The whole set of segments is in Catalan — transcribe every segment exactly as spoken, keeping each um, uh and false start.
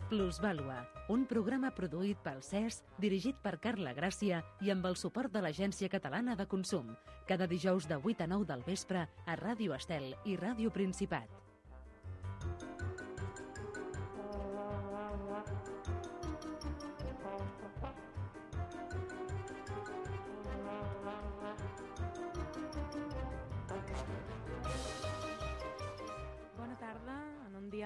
Plusvàlua, un programa produït pel C E S, dirigit per Carla Gràcia i amb el suport de l'Agència Catalana de Consum, cada dijous de vuit a nou del vespre a Ràdio Estel i Ràdio Principat.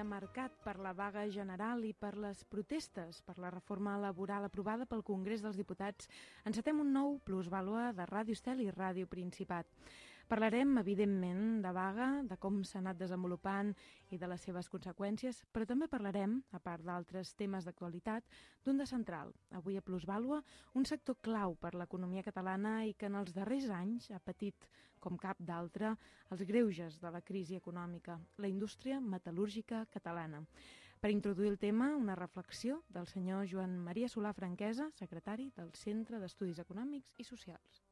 Marcat per la vaga general i per les protestes per la reforma laboral aprovada pel Congrés dels Diputats, encetem un nou Plusvàlua de Ràdio Estel i Ràdio Principat. Parlarem, evidentment, de vaga, de com s'ha anat desenvolupant i de les seves conseqüències, però també parlarem, a part d'altres temes d'actualitat, d'un de central. Avui a Plusvàlua, un sector clau per l'economia catalana i que en els darrers anys ha patit, com cap d'altre, els greuges de la crisi econòmica, la indústria metal·lúrgica catalana. Per introduir el tema, una reflexió del senyor Joan Maria Solà Franquesa, secretari del Centre d'Estudis Econòmics i Socials.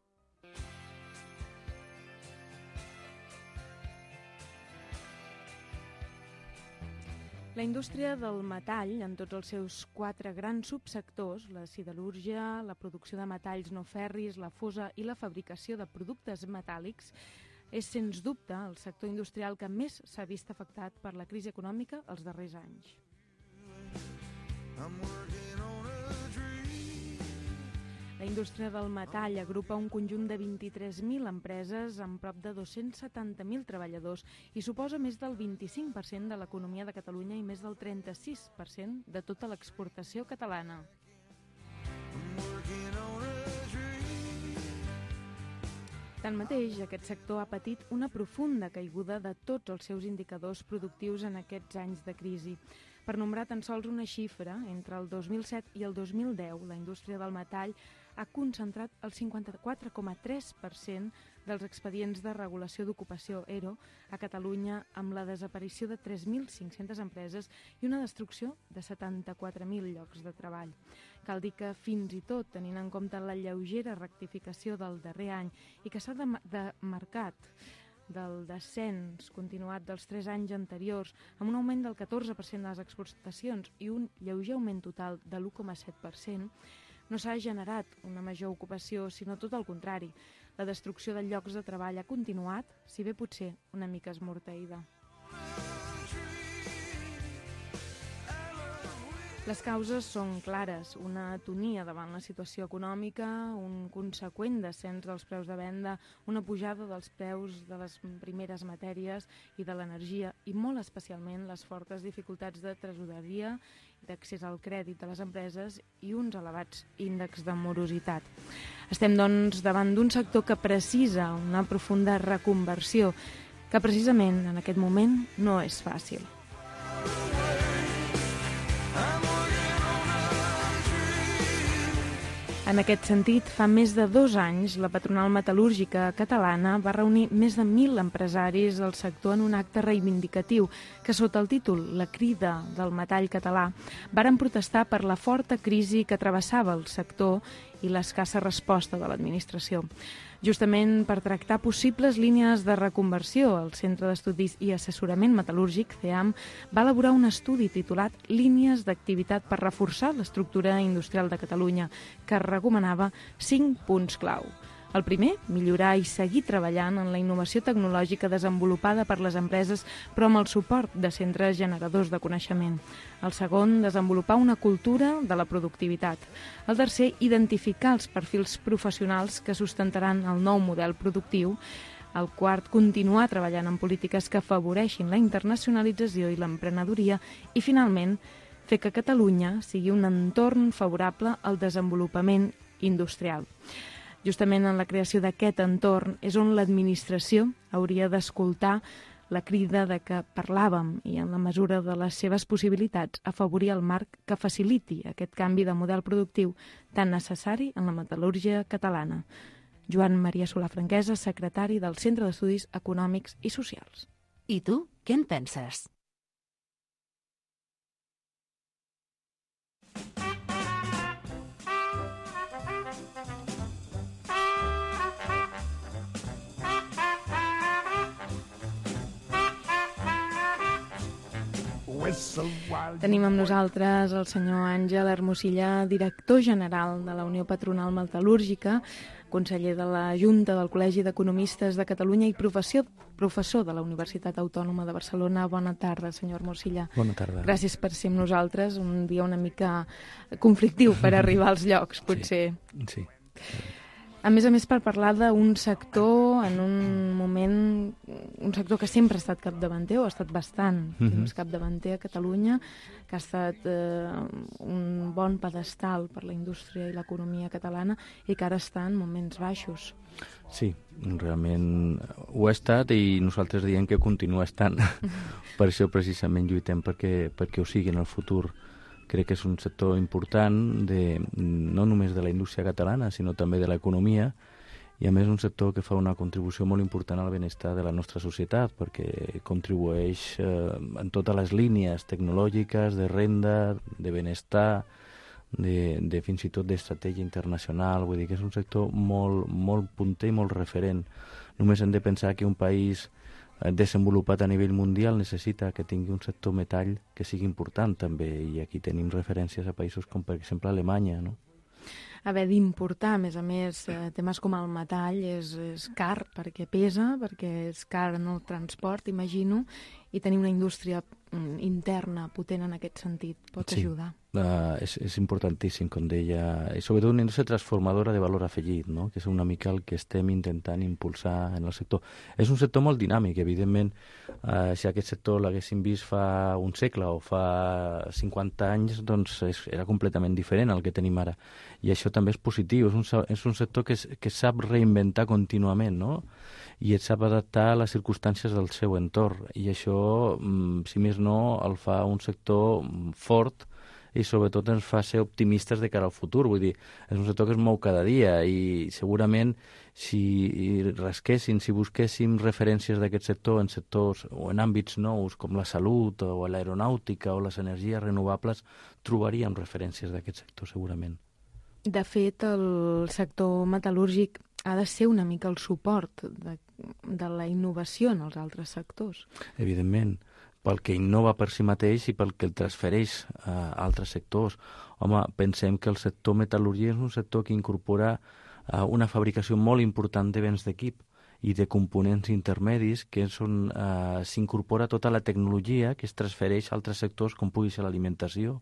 La indústria del metall, en tots els seus quatre grans subsectors, la siderúrgia, la producció de metalls no ferris, la fosa i la fabricació de productes metàl·lics, és, sens dubte, el sector industrial que més s'ha vist afectat per la crisi econòmica els darrers anys. La indústria del metall agrupa un conjunt de vint-i-tres mil empreses amb prop de dos-cents setanta mil treballadors i suposa més del vint-i-cinc per cent de l'economia de Catalunya i més del trenta-sis per cent de tota l'exportació catalana. Tanmateix, aquest sector ha patit una profunda caiguda de tots els seus indicadors productius en aquests anys de crisi. Per nombrar tan sols una xifra, entre el dos mil set i el dos mil deu, la indústria del metall ha concentrat el cinquanta-quatre coma tres per cent dels expedients de regulació d'ocupació E R O a Catalunya, amb la desaparició de tres mil cinc-centes empreses i una destrucció de setanta-quatre mil llocs de treball. Cal dir que, fins i tot tenint en compte la lleugera rectificació del darrer any i que s'ha demarcat del descens continuat dels tres anys anteriors, amb un augment del catorze per cent de les exportacions i un lleuger augment total de l'u coma set per cent, no s'ha generat una major ocupació, sinó tot el contrari. La destrucció de llocs de treball ha continuat, si bé potser una mica esmorteïda. Les causes són clares, una atonia davant la situació econòmica, un conseqüent descens dels preus de venda, una pujada dels preus de les primeres matèries i de l'energia i molt especialment les fortes dificultats de tresoreria, d'accés al crèdit de les empreses i uns elevats índexs de morositat. Estem, doncs, davant d'un sector que precisa una profunda reconversió, que precisament en aquest moment no és fàcil. En aquest sentit, fa més de dos anys, la patronal metal·lúrgica catalana va reunir més de mil empresaris del sector en un acte reivindicatiu que, sota el títol La crida del metall català, varen protestar per la forta crisi que travessava el sector i l'escassa resposta de l'administració. Justament per tractar possibles línies de reconversió, el Centre d'Estudis i Assessorament Metal·lúrgic, C E A M, va elaborar un estudi titulat Línies d'activitat per reforçar l'estructura industrial de Catalunya, que recomanava cinc punts clau. El primer, millorar i seguir treballant en la innovació tecnològica desenvolupada per les empreses, però amb el suport de centres generadors de coneixement. El segon, desenvolupar una cultura de la productivitat. El tercer, identificar els perfils professionals que sustentaran el nou model productiu. El quart, continuar treballant en polítiques que afavoreixin la internacionalització i l'emprenedoria. I, finalment, fer que Catalunya sigui un entorn favorable al desenvolupament industrial. Justament en la creació d'aquest entorn és on l'administració hauria d'escoltar la crida de què parlàvem i, en la mesura de les seves possibilitats, afavorir el marc que faciliti aquest canvi de model productiu tan necessari en la metal·lúrgia catalana. Joan Maria Solà Franquesa, secretari del Centre d'Estudis Econòmics i Socials. I tu, què en penses? Tenim amb nosaltres el senyor Àngel Hermosilla, director general de la Unió Patronal Metal·lúrgica, conseller de la Junta del Col·legi d'Economistes de Catalunya i professor, professor de la Universitat Autònoma de Barcelona. Bona tarda, senyor Hermosilla. Bona tarda. Gràcies per ser amb nosaltres, un dia una mica conflictiu per arribar als llocs, potser. Sí, sí. A més a més, per parlar d'un sector en un moment, un sector que sempre ha estat capdavanter, o ha estat bastant Mhm. capdavanter a Catalunya, que ha estat eh, un bon pedestal per la indústria i l'economia catalana i que ara està en moments baixos. Sí, realment ho ha estat i nosaltres diem que continua estant. Per això precisament lluitem perquè, perquè ho sigui en el futur. Crec que és un sector important de, no només de la indústria catalana, sinó també de l'economia, i a més un sector que fa una contribució molt important al benestar de la nostra societat, perquè contribueix eh, en totes les línies tecnològiques, de renda, de benestar, de, de fins i tot d'estratègia internacional. Vull dir que és un sector molt, molt punter i molt referent. Només hem de pensar que un país desenvolupat a nivell mundial necessita que tingui un sector metall que sigui important també, i aquí tenim referències a països com per exemple Alemanya, no? Haver d'importar, a més a més, eh, temes com el metall és, és car perquè pesa, perquè és car en el transport, imagino, i tenir una indústria mm, interna potent en aquest sentit pot Sí. ajudar. Uh, és, és importantíssim, com deia, i sobretot una indústria transformadora de valor afegit, no? Que és una mica el que estem intentant impulsar en el sector. És un sector molt dinàmic, evidentment. Uh, si aquest sector l'haguéssim vist fa un segle o fa cinquanta anys, doncs és, era completament diferent al que tenim ara. I això també és positiu. És un, és un sector que, és, que sap reinventar contínuament, no? I et sap adaptar a les circumstàncies del seu entorn. I això, si més no, el fa un sector fort i sobretot ens fa ser optimistes de cara al futur. Vull dir, és un sector que es mou cada dia i segurament si rasquéssim, si busquéssim referències d'aquest sector en sectors o en àmbits nous com la salut o l'aeronàutica o les energies renovables, trobaríem referències d'aquest sector segurament. De fet, el sector metal·lúrgic ha de ser una mica el suport de, de la innovació en els altres sectors. Evidentment, pel que innova per si mateix i pel que el transfereix a altres sectors. Home, pensem que el sector metal·lúrgic és un sector que incorpora uh, una fabricació molt important de béns d'equip i de components intermedis, que és on uh, s'incorpora tota la tecnologia que es transfereix a altres sectors com pugui ser l'alimentació,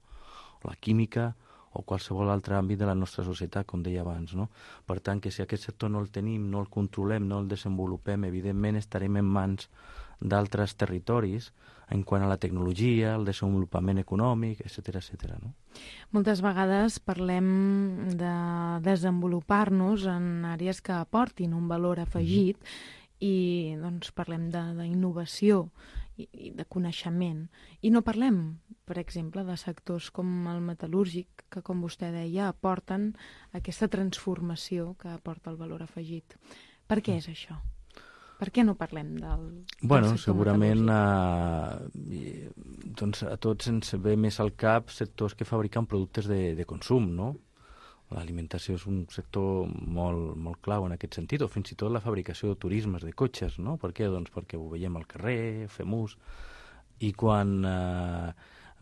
la química o qualsevol altre àmbit de la nostra societat, com deia abans, no? Per tant, que si aquest sector no el tenim, no el controlem, no el desenvolupem, evidentment estarem en mans d'altres territoris en quant a la tecnologia, el desenvolupament econòmic, etcètera, etcètera, no? Moltes vegades parlem de desenvolupar-nos en àrees que aportin un valor afegit mm-hmm. i doncs parlem d'innovació i, i de coneixement. I no parlem, per exemple, de sectors com el metal·lúrgic, que, com vostè deia, aporten aquesta transformació que aporta el valor afegit. Per què és això? Per què no parlem del, del bueno, sector segurament metal·lúrgic? uh, doncs a tots ens ve més al cap sectors que fabriquen productes de, de consum, no? L'alimentació és un sector molt, molt clau en aquest sentit, o fins i tot la fabricació de turismes, de cotxes, no? Per què? Doncs perquè ho veiem al carrer, fem ús, i quan, uh,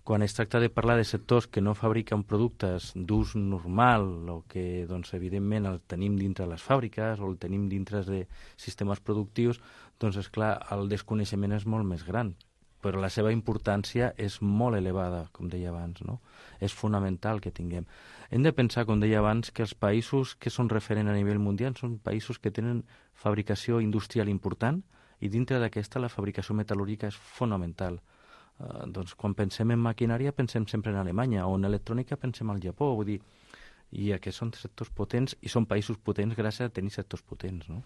quan es tracta de parlar de sectors que no fabriquen productes d'ús normal o que, doncs, evidentment, el tenim dintre les fàbriques o el tenim dintre de sistemes productius, doncs, esclar, el desconeixement és molt més gran, però la seva importància és molt elevada, com deia abans, no? És fonamental que tinguem. Hem de pensar, com deia abans, que els països que són referent a nivell mundial són països que tenen fabricació industrial important i dintre d'aquesta la fabricació metal·lúrgica és fonamental. Uh, doncs quan pensem en maquinària pensem sempre en Alemanya, o en electrònica pensem al Japó, vull dir, i aquests són sectors potents i són països potents gràcies a tenir sectors potents, no?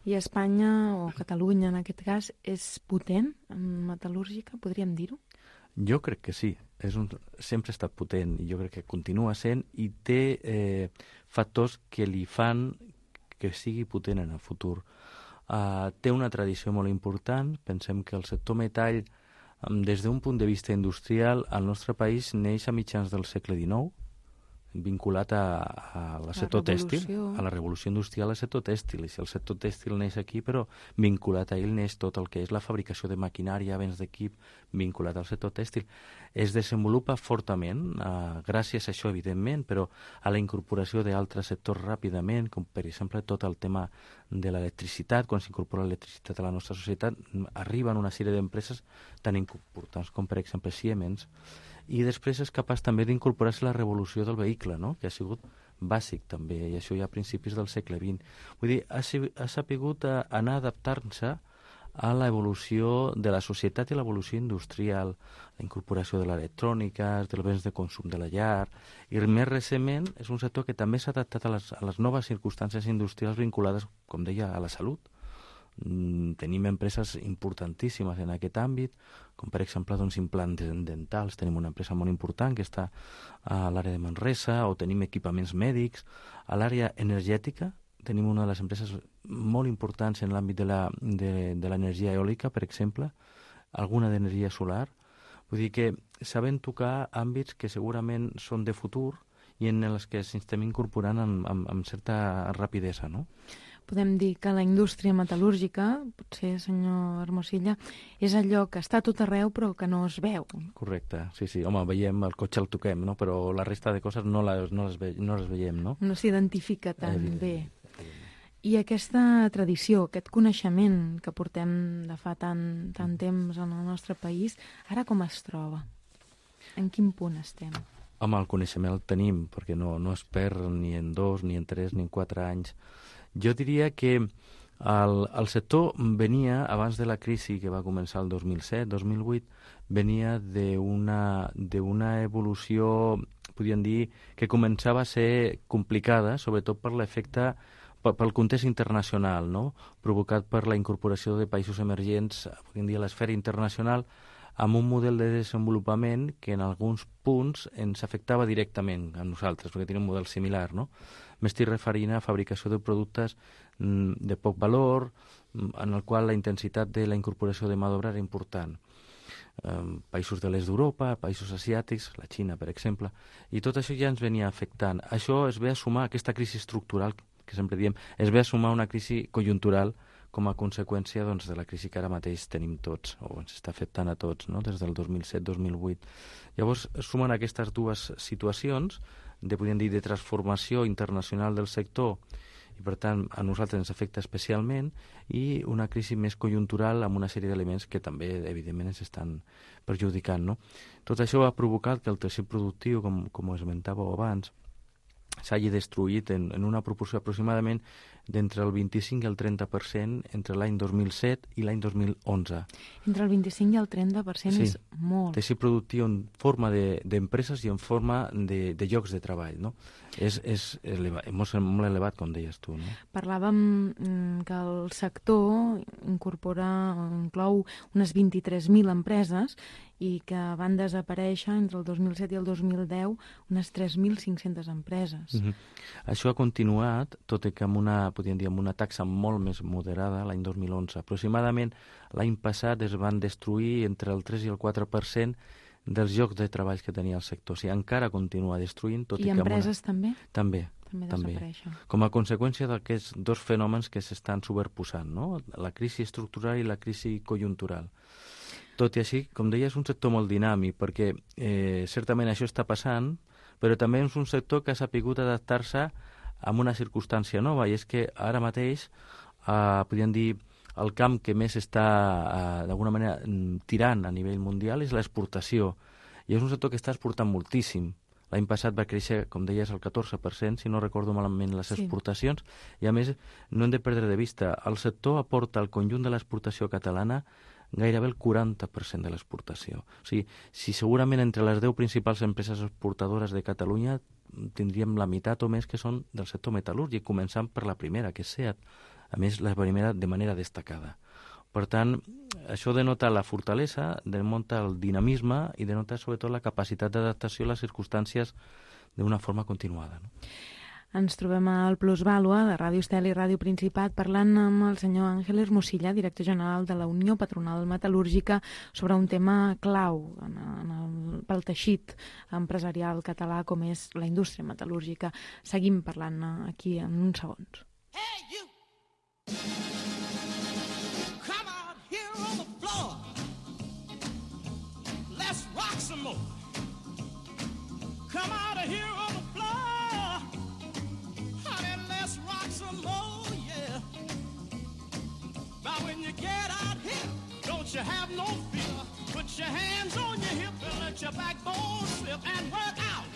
I Espanya, o Catalunya en aquest cas, és potent en metal·lúrgica, podríem dir-ho? Jo crec que sí, és un, sempre ha estat potent i jo crec que continua sent i té eh, factors que li fan que sigui potent en el futur. Uh, té una tradició molt important, pensem que el sector metall, um, des d'un punt de vista industrial, al nostre país neix a mitjans del segle dinou, vinculat a, a la sector tèxtil, a la revolució industrial al sector tèxtil. I si el sector tèxtil neix aquí, però vinculat a ell neix tot el que és la fabricació de maquinària, béns d'equip, vinculat al sector tèxtil. Es desenvolupa fortament, eh, gràcies a això, evidentment, però a la incorporació d'altres sectors ràpidament, com per exemple tot el tema de l'electricitat. Quan s'incorpora l'electricitat a la nostra societat, arriben una sèrie d'empreses tan importants com, per exemple, Siemens, i després és capaç també d'incorporar-se la revolució del vehicle, no? Que ha sigut bàsic també, i això ja a principis del segle vint. Vull dir, ha, ha sapigut anar adaptant-se a l'evolució de la societat i l'evolució industrial, la incorporació de l'electrònica, dels béns de consum de la llar, i més recentment és un sector que també s'ha adaptat a les, a les noves circumstàncies industrials vinculades, com deia, a la salut. Tenim empreses importantíssimes en aquest àmbit, com per exemple doncs, implants dentals. Tenim una empresa molt important que està a l'àrea de Manresa, o tenim equipaments mèdics. A l'àrea energètica tenim una de les empreses molt importants en l'àmbit de la, de, de l'energia eòlica, per exemple, alguna d'energia solar. Vull dir que saben tocar àmbits que segurament són de futur i en els que s'estem incorporant amb, amb, amb certa rapidesa, no? Podem dir que la indústria metal·lúrgica, potser, senyor Hermosilla, és allò que està a tot arreu però que no es veu. Correcte, sí, sí. Home, veiem, el cotxe el toquem, no? Però la resta de coses no les, no les, ve, no les veiem, no? No s'identifica tan Evident, bé. evident. I aquesta tradició, aquest coneixement que portem de fa tant, tant temps en el nostre país, ara com es troba? En quin punt estem? Home, el coneixement el tenim, perquè no, no es perd ni en dos, ni en tres, ni en quatre anys. Jo diria que el, el sector venia, abans de la crisi que va començar el dos mil set dos mil vuit, venia d'una d'una evolució, podríem dir, que començava a ser complicada, sobretot per l'efecte, pel context internacional, no? Provocat per la incorporació de països emergents, podríem dir, a l'esfera internacional, amb un model de desenvolupament que en alguns punts ens afectava directament a nosaltres, perquè tenim un model similar, no? M'estic referint a fabricació de productes de poc valor, en el qual la intensitat de la incorporació de mà d'obra era important. Um, països de l'est d'Europa, països asiàtics, la Xina, per exemple, i tot això ja ens venia afectant. Això es ve a sumar, aquesta crisi estructural, que sempre diem, es ve a sumar una crisi conjuntural com a conseqüència doncs, de la crisi que ara mateix tenim tots, o ens està afectant a tots, no? Des del dos mil set dos mil vuit. Llavors, sumen aquestes dues situacions de, podríem dir, de transformació internacional del sector, i per tant a nosaltres ens afecta especialment, i una crisi més conjuntural amb una sèrie d'elements que també evidentment ens estan perjudicant, no? Tot això ha provocat que el teixit productiu, com, com ho esmentàveu abans, s'hagi destruït en, en una proporció aproximadament d'entre el vint-i-cinc i el trenta per cent entre l'any dos mil set i l'any dos mil onze. Entre el vint-i-cinc i el trenta per cent sí. És molt. Teixit productiu en forma d'empreses de, i en forma de, de llocs de treball, no? És, és elevat, molt, molt elevat, com deies tu, no? Parlàvem que el sector incorpora, inclou unes vint-i-tres mil empreses i que van desaparèixer entre el dos mil set i el dos mil deu unes tres mil cinc-centes empreses. Mm-hmm. Això ha continuat, tot i que amb una, podríem dir, amb una taxa molt més moderada l'any dos mil onze. Aproximadament l'any passat es van destruir entre el tres i el quatre per cent dels llocs de treball que tenia el sector. O sigui, encara continua destruint, tot i, I que... I empreses una... també? També. També desapareixen. Com a conseqüència d'aquests dos fenòmens que s'estan superposant, no? La crisi estructural i la crisi conjuntural. Tot i així, com deia, és un sector molt dinàmic, perquè eh, certament això està passant, però també és un sector que ha sapigut adaptar-se a una circumstància nova, i és que ara mateix, eh, podríem dir, el camp que més està, eh, d'alguna manera, tirant a nivell mundial és l'exportació, i és un sector que està exportant moltíssim. L'any passat va créixer, com deies, el catorze per cent, si no recordo malament, les exportacions, sí. I a més, no hem de perdre de vista, el sector aporta al conjunt de l'exportació catalana gairebé el quaranta per cent de l'exportació. O sigui, si segurament entre les deu principals empreses exportadores de Catalunya tindríem la meitat o més que són del sector metal·lúrgic, començant per la primera, que és SEAT, a més la primera de manera destacada. Per tant, això denota la fortalesa, denota el dinamisme i denota sobretot la capacitat d'adaptació a les circumstàncies d'una forma continuada, no? Ens trobem al Plusvàlua de Ràdio Estel i Ràdio Principat parlant amb el senyor Àngel Hermosilla, director general de la Unió Patronal Metal·lúrgica, sobre un tema clau en, en el, pel teixit empresarial català com és la indústria metal·lúrgica. Seguim parlant aquí en uns segons. Hey, you! Come out here on the floor. Let's rock some more. Come out of here on the floor. Honey, let's rock some more, yeah. Now when you get out here, don't you have no fear. Put your hands on your hip and let your backbone slip and work out.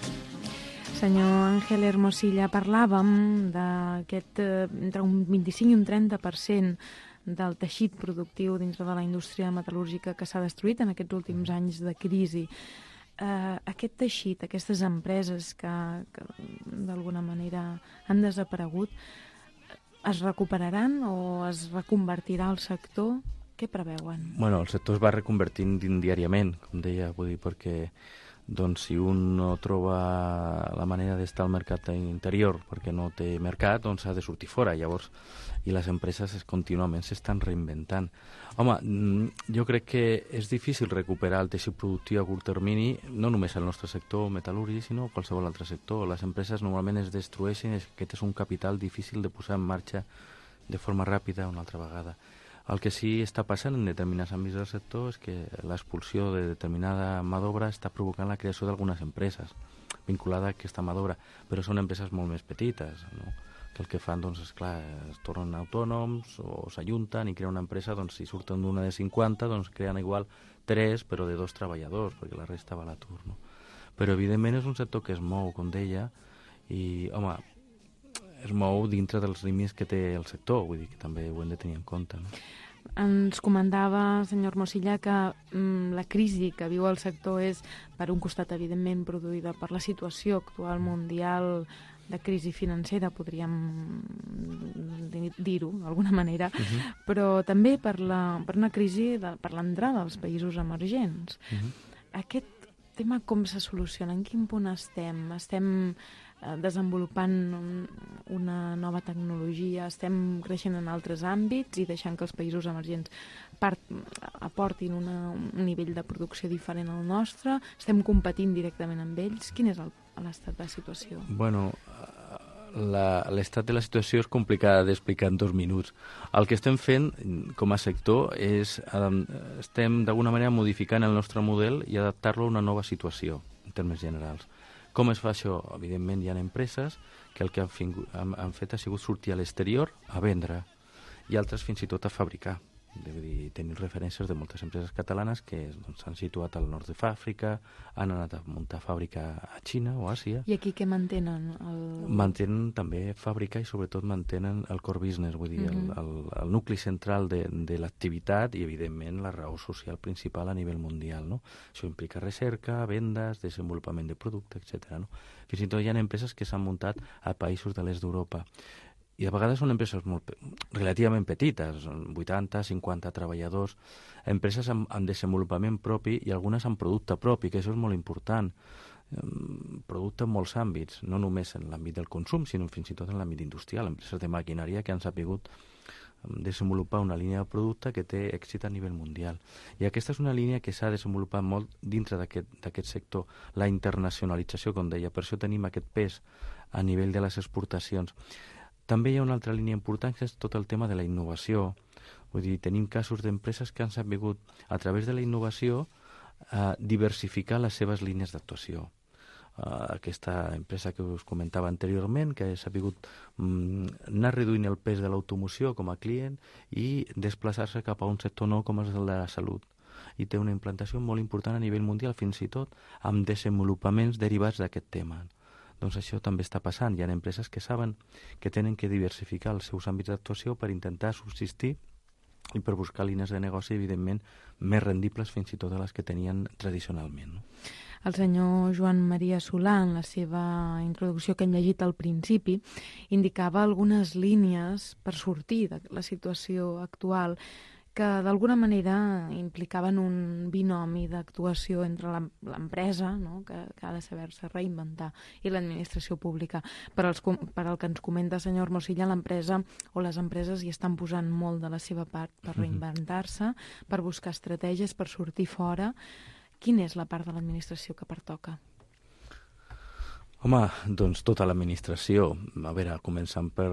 Senyor Àngel Hermosilla, parlàvem d'aquest eh, entre un vint-i-cinc i un trenta per cent del teixit productiu dintre de la indústria metal·lúrgica que s'ha destruït en aquests últims anys de crisi. Uh, aquest teixit, aquestes empreses que, que d'alguna manera han desaparegut, es recuperaran o es reconvertirà el sector? Què preveuen? Bueno, el sector es va reconvertint diàriament, com deia, vull dir, perquè doncs, si un no troba la manera d'estar al mercat interior perquè no té mercat, doncs ha de sortir fora. Llavors, i les empreses es, contínuament s'estan reinventant. Home, jo crec que és difícil recuperar el teixit productiu a curt termini, no només el nostre sector metal·lúrgic, sinó qualsevol altre sector. Les empreses normalment es destrueixen, aquest és un capital difícil de posar en marxa de forma ràpida una altra vegada. El que sí està passant en determinats àmbits del sector és que l'expulsió de determinada mà d'obra està provocant la creació d'algunes empreses vinculada a aquesta mà d'obra, però són empreses molt més petites, no? Que el que fan, doncs, és clar, es tornen autònoms o s'ajunten i creen una empresa, doncs, si surten d'una de cinquanta, doncs creen igual tres, però de dos treballadors, perquè la resta va a l'atur, no? Però, evidentment, és un sector que es mou, com deia, i, home, es mou dintre dels límits que té el sector, vull dir que també ho hem de tenir en compte, no? Ens comentava, senyor Hermosilla, que mm, la crisi que viu el sector és, per un costat, evidentment, produïda per la situació actual mundial de crisi financera, podríem dir-ho d'alguna manera, uh-huh. però també per, la, per una crisi, de, per l'entrada als països emergents. Uh-huh. Aquest tema com se soluciona? En quin punt estem? Estem eh, desenvolupant un, una nova tecnologia? Estem creixent en altres àmbits i deixant que els països emergents part, aportin una, un nivell de producció diferent al nostre? Estem competint directament amb ells? Quin és el l'estat de la situació? Bueno, l'estat de la situació és complicada d'explicar en dos minuts. El que estem fent com a sector és, estem d'alguna manera modificant el nostre model i adaptar-lo a una nova situació, en termes generals. Com es fa això? Evidentment hi ha empreses que el que han, fingut, han, han fet ha sigut sortir a l'exterior a vendre i altres fins i tot a fabricar. Vull dir, tenim referències de moltes empreses catalanes que doncs, s'han situat al nord d'Àfrica, han anat a muntar fàbrica a Xina o a Àsia. I aquí què mantenen? El... Mantenen també fàbrica i sobretot mantenen el core business, vull dir, uh-huh. el, el, el nucli central de, de l'activitat i, evidentment, la raó social principal a nivell mundial, no? Això implica recerca, vendes, desenvolupament de producte, etcètera. No? Fins i tot hi ha empreses que s'han muntat a països de l'est d'Europa. I a vegades són empreses molt, relativament petites, vuitanta, cinquanta treballadors, empreses amb, amb desenvolupament propi i algunes amb producte propi, que això és molt important. Producte en molts àmbits, no només en l'àmbit del consum, sinó fins i tot en l'àmbit industrial, empreses de maquinària que han sabut desenvolupar una línia de producte que té èxit a nivell mundial. I aquesta és una línia que s'ha desenvolupat molt dintre d'aquest sector, la internacionalització, com deia, per això tenim aquest pes a nivell de les exportacions. També hi ha una altra línia important, que és tot el tema de la innovació. Vull dir, tenim casos d'empreses que han sabut, a través de la innovació, eh, diversificar les seves línies d'actuació. Uh, aquesta empresa que us comentava anteriorment, que ha sabut um, anar reduint el pes de l'automoció com a client i desplaçar-se cap a un sector nou com és el de la salut. I té una implantació molt important a nivell mundial, fins i tot amb desenvolupaments derivats d'aquest tema. Doncs això també està passant. Hi ha empreses que saben que tenen que diversificar els seus àmbits d'actuació per intentar subsistir i per buscar línies de negoci, evidentment, més rendibles fins i tot a les que tenien tradicionalment, no? El senyor Joan Maria Solà, en la seva introducció que hem llegit al principi, indicava algunes línies per sortir de la situació actual que d'alguna manera implicaven un binomi d'actuació entre l'empresa, no? que, que ha de saber-se reinventar, i l'administració pública. Per, als, per al que ens comenta, senyor Mosilla, l'empresa o les empreses hi estan posant molt de la seva part per reinventar-se, per buscar estratègies, per sortir fora. Quina és la part de l'administració que pertoca? Home, doncs tota l'administració. A veure, començant per,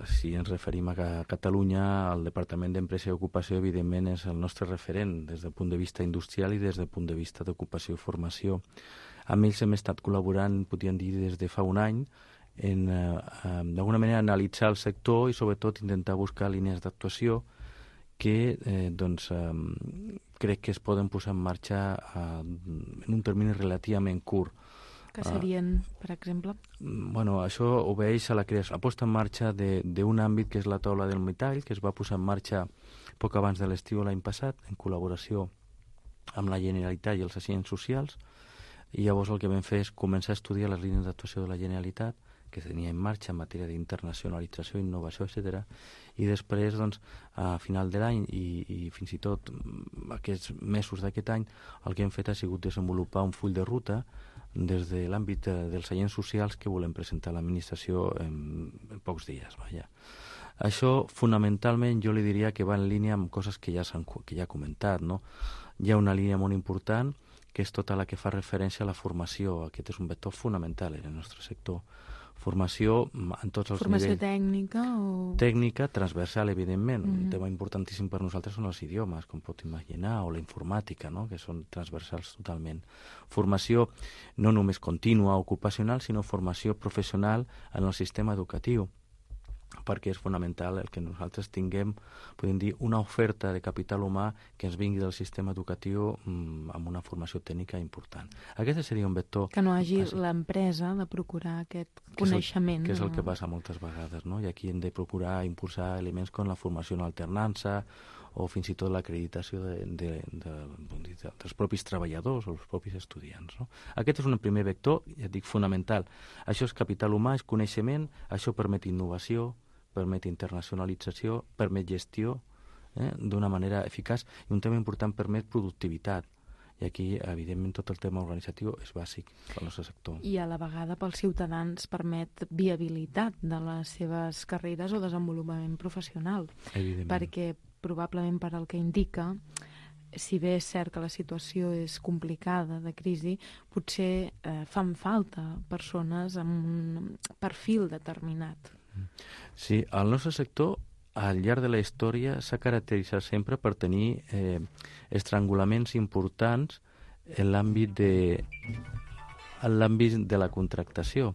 si ens referim a Catalunya, el Departament d'Empresa i Ocupació, evidentment, és el nostre referent des del punt de vista industrial i des del punt de vista d'ocupació i formació. Amb ells hem estat col·laborant, podríem dir, des de fa un any, en, eh, d'alguna manera, analitzar el sector i, sobretot, intentar buscar línies d'actuació que eh, doncs, eh, crec que es poden posar en marxa eh, en un termini relativament curt. Que serien, per exemple? Bueno, això obeeix a la creació, la posta en marxa d'un àmbit que és la taula del metall, que es va posar en marxa poc abans de l'estiu l'any passat, en col·laboració amb la Generalitat i els agents socials, i llavors el que vam fer és començar a estudiar les línies d'actuació de la Generalitat, que es tenia en marxa en matèria d'internacionalització, innovació, etcètera. I després, doncs, a final de l'any i, i fins i tot aquests mesos d'aquest any, el que hem fet ha sigut desenvolupar un full de ruta des de l'àmbit dels agents socials que volem presentar a l'administració en, en pocs dies. Vaja. Això, fonamentalment, jo li diria que va en línia amb coses que ja, que ja he comentat. No? Hi ha una línia molt important, que és tota la que fa referència a la formació. Aquest és un vector fonamental en el nostre sector. Formació en tots els Formació nivells. Formació tècnica o... Tècnica, transversal, evidentment. Mm-hmm. Un tema importantíssim per nosaltres són els idiomes, com pot imaginar, o la informàtica, no? Que són transversals totalment. Formació no només contínua, ocupacional, sinó formació professional en el sistema educatiu, perquè és fonamental el que nosaltres tinguem, podem dir, una oferta de capital humà que ens vingui del sistema educatiu mmm, amb una formació tècnica important. Aquest seria un vector... Que no hagi l'empresa de procurar aquest coneixement. Que és el que passa moltes vegades, no? I aquí hem de procurar impulsar elements com la formació en alternança o fins i tot l'acreditació de, de, de, de, de, dels propis treballadors o els propis estudiants. No? Aquest és un primer vector, ja dic, fonamental. Això és capital humà, és coneixement, això permet innovació, permet internacionalització, permet gestió eh, d'una manera eficaç, i un tema important, permet productivitat. I aquí, evidentment, tot el tema organitzatiu és bàsic pel nostre sector. I a la vegada pels ciutadans permet viabilitat de les seves carreres o desenvolupament professional. Evidentment. Perquè probablement per al que indica, si bé és cert que la situació és complicada, de crisi, potser eh, fan falta persones amb un perfil determinat. Sí, el nostre sector al llarg de la història s'ha caracteritzat sempre per tenir eh, estrangulaments importants en l'àmbit de, en l'àmbit de la contractació.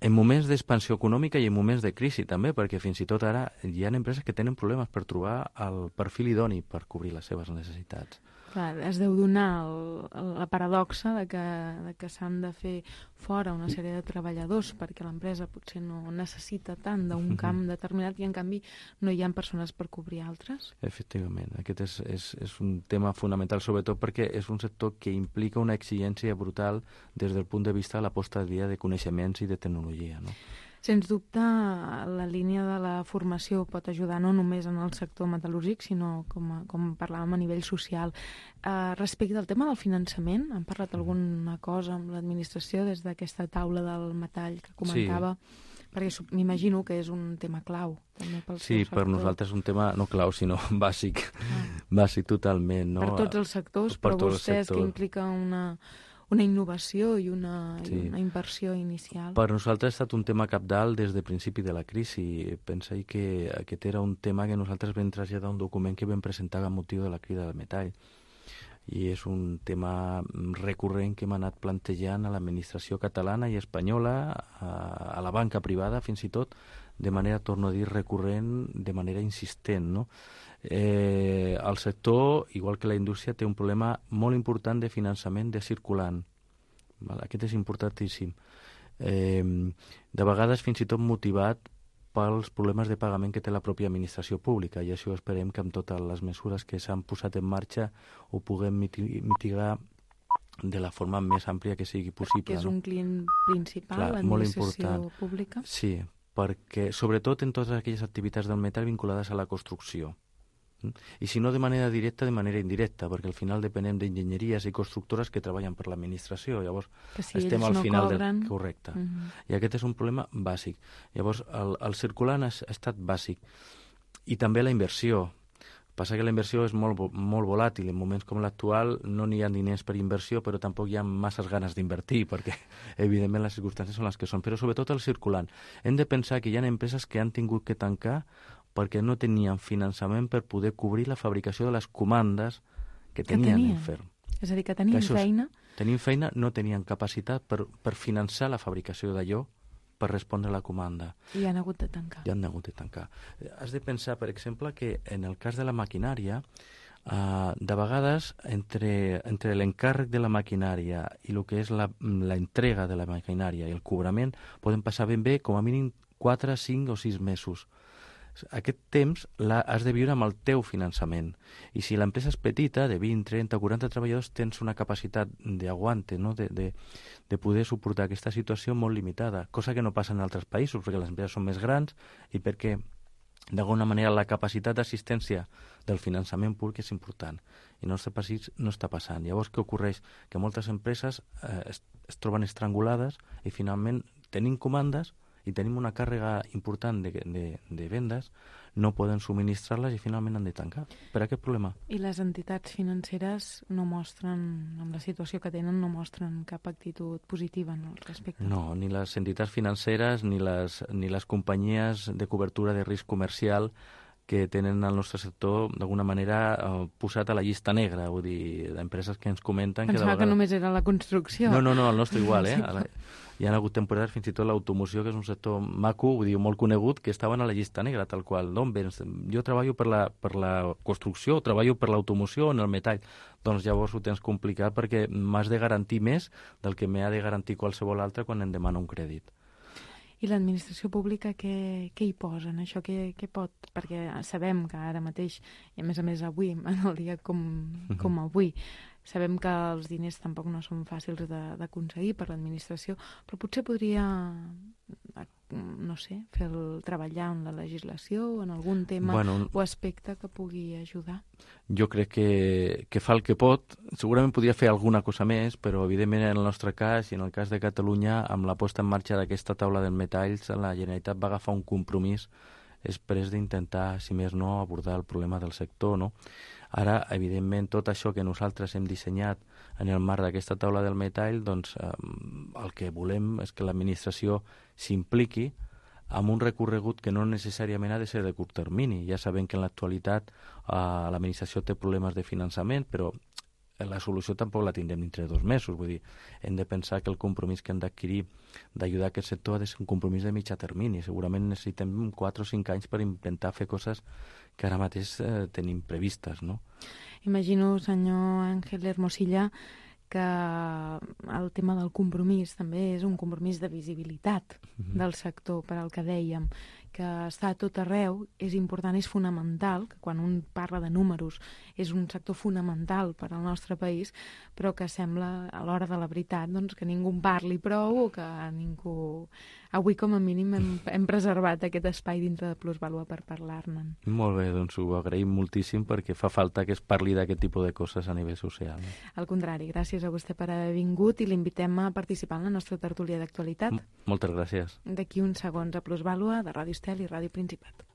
En moments d'expansió econòmica i en moments de crisi també, perquè fins i tot ara hi ha empreses que tenen problemes per trobar el perfil idoni per cobrir les seves necessitats. Clar, es deu donar el, la paradoxa de que, de que s'han de fer fora una sèrie de treballadors perquè l'empresa potser no necessita tant d'un camp determinat i en canvi no hi ha persones per cobrir altres. Efectivament, aquest és, és, és un tema fonamental, sobretot perquè és un sector que implica una exigència brutal des del punt de vista de la posta al dia de coneixements i de tecnologia, no? Sens dubte, la línia de la formació pot ajudar no només en el sector metal·lúrgic, sinó, com, a, com parlàvem, a nivell social. Uh, respecte al tema del finançament, han parlat alguna cosa amb l'administració des d'aquesta taula del metall que comentava? Sí. Perquè m'imagino que és un tema clau. També pel sí, per nosaltres és un tema no clau, sinó bàsic. Ah. Bàsic totalment. No? Per tots els sectors, per però vostès sectors. Que implica una... una innovació i una, sí. i una inversió inicial. Per nosaltres ha estat un tema cabdal des del principi de la crisi. Pensa que aquest era un tema que nosaltres vam traslladar un document que vam presentar amb motiu de la crida del metall. I és un tema recurrent que hem anat plantejant a l'administració catalana i espanyola, a, a la banca privada fins i tot, de manera, torno a dir, recurrent, de manera insistent, no? Eh, el sector, igual que la indústria, té un problema molt important de finançament de circulant. Val? Aquest és importantíssim. Eh, de vegades fins i tot motivat pels problemes de pagament que té la pròpia administració pública, i això esperem que amb totes les mesures que s'han posat en marxa ho puguem mitigar de la forma més àmplia que sigui possible. Que és no? un client principal, l'administració pública? Sí, perquè sobretot en totes aquelles activitats del metall vinculades a la construcció. I si no de manera directa, de manera indirecta, perquè al final depenem d'enginyeries i constructores que treballen per l'administració. Llavors, si estem al no final cobren... del... Correcte. Uh -huh. I aquest és un problema bàsic. Llavors, el, el circulant ha, ha estat bàsic. I també la inversió. Passa que la inversió és molt, molt volàtil. En moments com l'actual no n'hi ha diners per inversió, però tampoc hi ha masses ganes d'invertir, perquè evidentment les circumstàncies són les que són. Però sobretot el circulant. Hem de pensar que hi ha empreses que han tingut que tancar perquè no tenien finançament per poder cobrir la fabricació de les comandes que tenien, que tenien. en ferm. És a dir, que tenien que feina... Tenien feina, no tenien capacitat per, per finançar la fabricació d'allò per respondre a la comanda. I han hagut de tancar. I han hagut de tancar. Has de pensar, per exemple, que en el cas de la maquinària, eh, de vegades, entre, entre l'encàrrec de la maquinària i el que és la, la entrega de la maquinària i el cobrament, poden passar ben bé com a mínim quatre, cinc o sis mesos. Aquest temps has de viure amb el teu finançament. I si l'empresa és petita, de vint, trenta, quaranta treballadors, tens una capacitat d'aguante, no? de, de, de poder suportar aquesta situació molt limitada, cosa que no passa en altres països, perquè les empreses són més grans i perquè, d'alguna manera, la capacitat d'assistència del finançament públic és important. I en el nostre país no està passant. Llavors, què ocorreix? Que moltes empreses eh, es, es troben estrangulades i, finalment, tenim comandes i tenim una càrrega important de, de, de vendes, no poden subministrar-les i finalment han de tancar. Per aquest problema. I les entitats financeres no mostren, amb la situació que tenen, no mostren cap actitud positiva al respecte? No, ni les entitats financeres ni les, ni les companyies de cobertura de risc comercial que tenen el nostre sector d'alguna manera eh, posat a la llista negra, vull dir, d'empreses que ens comenten... Pensava que, que només era la construcció. No, no, no, el nostre igual, eh? La... Hi ha hagut temporades, fins i tot l'automoció, que és un sector maco, vull dir, molt conegut, que estaven a la llista negra, tal qual. D'on vens? Jo treballo per la, per la construcció, treballo per l'automoció o en el metall. Doncs llavors ho tens complicat perquè m'has de garantir més del que m'ha de garantir qualsevol altre quan em demana un crèdit. I l'administració pública què, què hi posa en això? Què, què pot? Perquè sabem que ara mateix, i a més a més avui, en el dia com, com avui, sabem que els diners tampoc no són fàcils d'aconseguir per l'administració, però potser podria, no sé, fer el, treballar en la legislació o en algun tema bueno, o aspecte que pugui ajudar. Jo crec que, que fa el que pot. Segurament podria fer alguna cosa més, però evidentment en el nostre cas i en el cas de Catalunya, amb la posta en marxa d'aquesta taula dels metalls, la Generalitat va agafar un compromís després d'intentar, si més no, abordar el problema del sector, no? Ara, evidentment, tot això que nosaltres hem dissenyat en el marc d'aquesta taula del metall, doncs eh, el que volem és que l'administració s'impliqui amb un recorregut que no necessàriament ha de ser de curt termini. Ja sabem que en l'actualitat eh, l'administració té problemes de finançament, però la solució tampoc la tindrem dintre de dos mesos. Vull dir, hem de pensar que el compromís que hem d'adquirir d'ajudar aquest sector ha de ser un compromís de mitjà termini. Segurament necessitem quatre o cinc anys per intentar fer coses que ara mateix eh, tenim previstes, no? Imagino, senyor Ángel Hermosilla, que el tema del compromís també és un compromís de visibilitat mm-hmm. del sector, per al que dèiem, que està a tot arreu, és important, és fonamental, que quan un parla de números és un sector fonamental per al nostre país, però que sembla, a l'hora de la veritat, doncs, que ningú en parli prou o que ningú... Avui, com a mínim, hem, hem preservat aquest espai dintre de Plusvàlua per parlar-ne. Molt bé, doncs ho agraïm moltíssim perquè fa falta que es parli d'aquest tipus de coses a nivell social. Al contrari, gràcies a vostè per haver vingut i l'invitem a participar en la nostra tertúlia d'actualitat. M- moltes gràcies. D'aquí uns segons a Plusvàlua de Ràdio Estel i Ràdio Principat.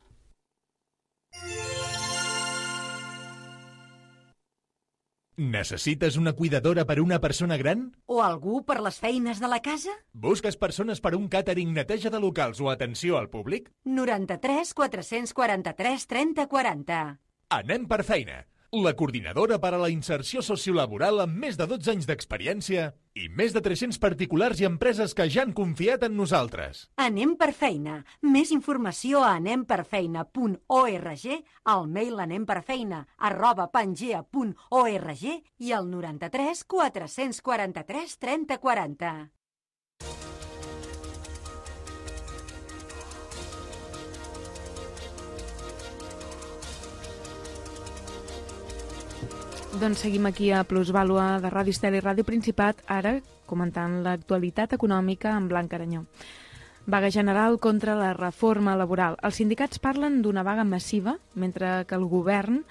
Necessites una cuidadora per una persona gran? O algú per les feines de la casa? Busques persones per un càtering, neteja de locals o atenció al públic? noranta-tres quatre-cents quaranta-tres trenta quaranta. Anem per feina. La coordinadora per a la inserció sociolaboral amb més de dotze anys d'experiència i més de tres-cents particulars i empreses que ja han confiat en nosaltres. Anem per feina. Més informació a anem per feina punt org, al mail anemperfeina arroba pangea punt org i al noranta-tres quatre-cents quaranta-tres trenta quaranta. Doncs seguim aquí a Plusvàlua de Ràdio Estel i Ràdio Principat, ara comentant l'actualitat econòmica amb Blanca Aranyó. Vaga general contra la reforma laboral. Els sindicats parlen d'una vaga massiva, mentre que el govern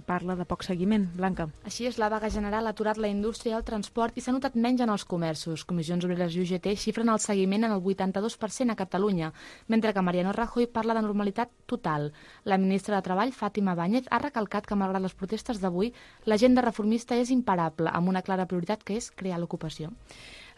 parla de poc seguiment. Blanca. Així és, la vaga general ha aturat la indústria i el transport i s'ha notat menys en els comerços. Comissions Obreres i U G T xifren el seguiment en el vuitanta-dos per cent a Catalunya, mentre que Mariano Rajoy parla de normalitat total. La ministra de Treball, Fátima Báñez, ha recalcat que, malgrat les protestes d'avui, l'agenda reformista és imparable, amb una clara prioritat que és crear l'ocupació.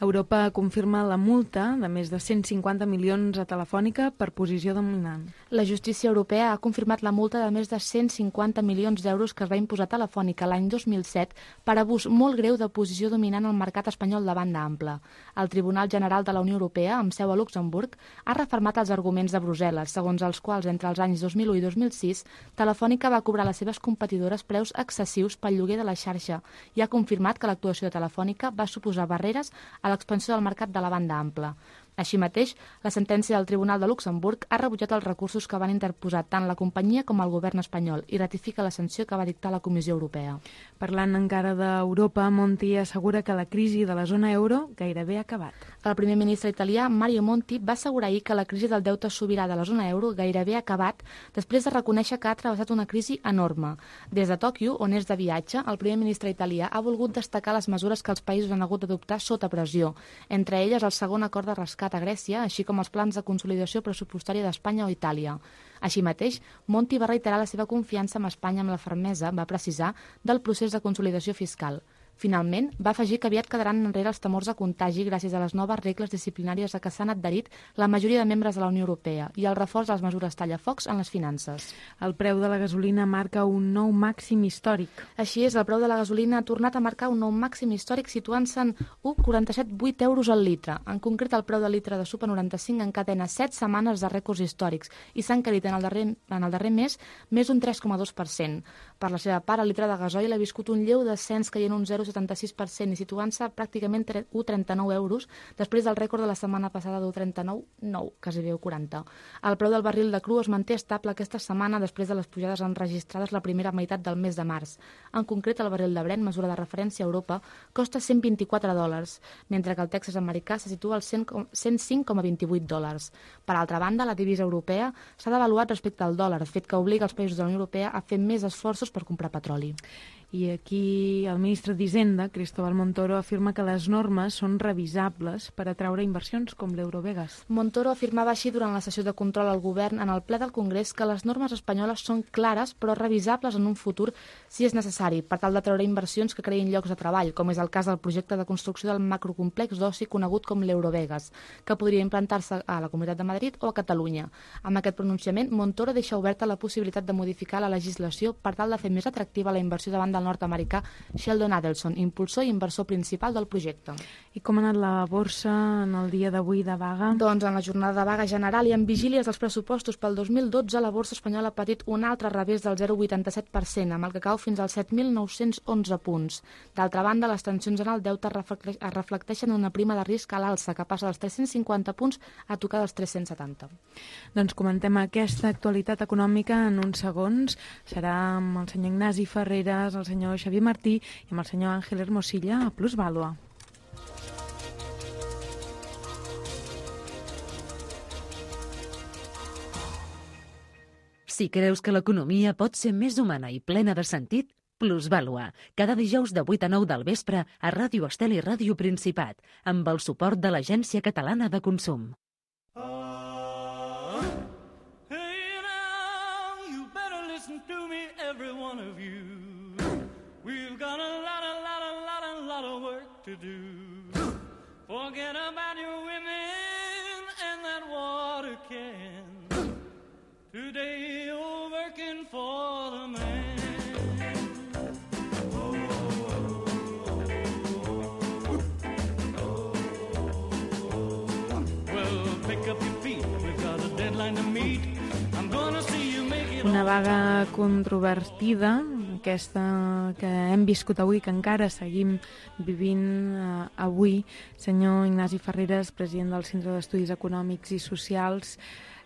Europa confirma la multa de més de cent cinquanta milions a Telefònica per posició dominant. La justícia europea ha confirmat la multa de més de cent cinquanta milions d'euros que es va imposar a Telefònica l'any dos mil set per abús molt greu de posició dominant al mercat espanyol de banda ampla. El Tribunal General de la Unió Europea, amb seu a Luxemburg, ha refermat els arguments de Brussel·les, segons els quals entre els anys dos mil u i dos mil sis Telefònica va cobrar a les seves competidores preus excessius pel lloguer de la xarxa i ha confirmat que l'actuació de Telefònica va suposar barreres a l'expansió del mercat de la banda ampla. Així mateix, la sentència del Tribunal de Luxemburg ha rebutjat els recursos que van interposar tant la companyia com el govern espanyol i ratifica la sanció que va dictar la Comissió Europea. Parlant encara d'Europa, Monti assegura que la crisi de la zona euro gairebé ha acabat. El primer ministre italià, Mario Monti, va assegurar ahir que la crisi del deute sobirà de la zona euro gairebé ha acabat després de reconèixer que ha travessat una crisi enorme. Des de Tòquio, on és de viatge, el primer ministre italià ha volgut destacar les mesures que els països han hagut d'adoptar sota pressió, entre elles el segon acord de rescat a Grècia, així com els plans de consolidació pressupostària d'Espanya o Itàlia. Així mateix, Monti va reiterar la seva confiança amb Espanya amb la fermesa, va precisar, del procés de consolidació fiscal. Finalment, va afegir que aviat quedaran enrere els temors de contagi gràcies a les noves regles disciplinàries a què s'han adherit la majoria de membres de la Unió Europea i el reforç de les mesures tallafocs en les finances. El preu de la gasolina marca un nou màxim històric. Així és, el preu de la gasolina ha tornat a marcar un nou màxim històric situant-se en un coma quaranta-set coma vuit euros al litre. En concret, el preu del litre de Super noranta-cinc encadena set setmanes de rècords històrics i s'ha encarit en el darrer, en el darrer mes més d'un tres coma dos per cent. Per la seva part, el litre de gasoil ha viscut un lleu descens caient un zero coma setanta sis per cent i situant-se pràcticament un coma trenta-nou euros després del rècord de la setmana passada d'un trenta-nou coma nou, quasi un quaranta. El preu del barril de cru es manté estable aquesta setmana després de les pujades enregistrades la primera meitat del mes de març. En concret, el barril de Brent, mesura de referència a Europa, costa cent vint-i-quatre dòlars, mentre que el Texas americà se situa als cent cinc coma vint-i-vuit dòlars. Per altra banda, la divisa europea s'ha devaluat respecte al dòlar, fet que obliga els països de la Unió Europea a fer més esforços per comprar petroli. I aquí el ministre d'Hisenda, Cristóbal Montoro, afirma que les normes són revisables per atraure inversions com l'Eurovegas. Montoro afirmava així durant la sessió de control al govern en el ple del Congrés que les normes espanyoles són clares però revisables en un futur si és necessari per tal d'atraure inversions que creïn llocs de treball, com és el cas del projecte de construcció del macrocomplex d'oci conegut com l'Eurovegas, que podria implantar-se a la Comunitat de Madrid o a Catalunya. Amb aquest pronunciament, Montoro deixa oberta la possibilitat de modificar la legislació per tal de fer més atractiva la inversió davant del nord-americà Sheldon Adelson, impulsor i inversor principal del projecte. I com ha anat la borsa en el dia d'avui de vaga? Doncs en la jornada de vaga general i en vigílies dels pressupostos pel dos mil dotze, la borsa espanyola ha patit un altre revés del zero coma vuitanta-set per cent, amb el que cau fins als set mil nou-cents onze punts. D'altra banda, les tensions en el deute es reflecteixen en una prima de risc a l'alça, que passa dels tres-cents cinquanta punts a tocar dels tres-cents setanta. Doncs comentem aquesta actualitat econòmica en uns segons. Serà amb el senyor Ignasi Ferreres, el senyor Xavier Martí i amb el senyor Àngel Hermosilla a Plusvàlua. Si creus que l'economia pot ser més humana i plena de sentit, Plusvàlua, cada dijous de vuit a nou del vespre a Ràdio Estel i Ràdio Principat, amb el suport de l'Agència Catalana de Consum. Uh, hey now, you better listen to me, every one of you. We've got a lot, a lot, a lot, a lot of work to do. Forget about your women and that water can. Today you're working for the man. Oh, oh, oh, oh, oh. Well, pick up your feet, we've got a deadline to meet. I'm gonna see you make it. Una vaga controvertida, aquesta que hem viscut avui, que encara seguim vivint eh, avui. Senyor Ignasi Ferreres, president del Centre d'Estudis Econòmics i Socials,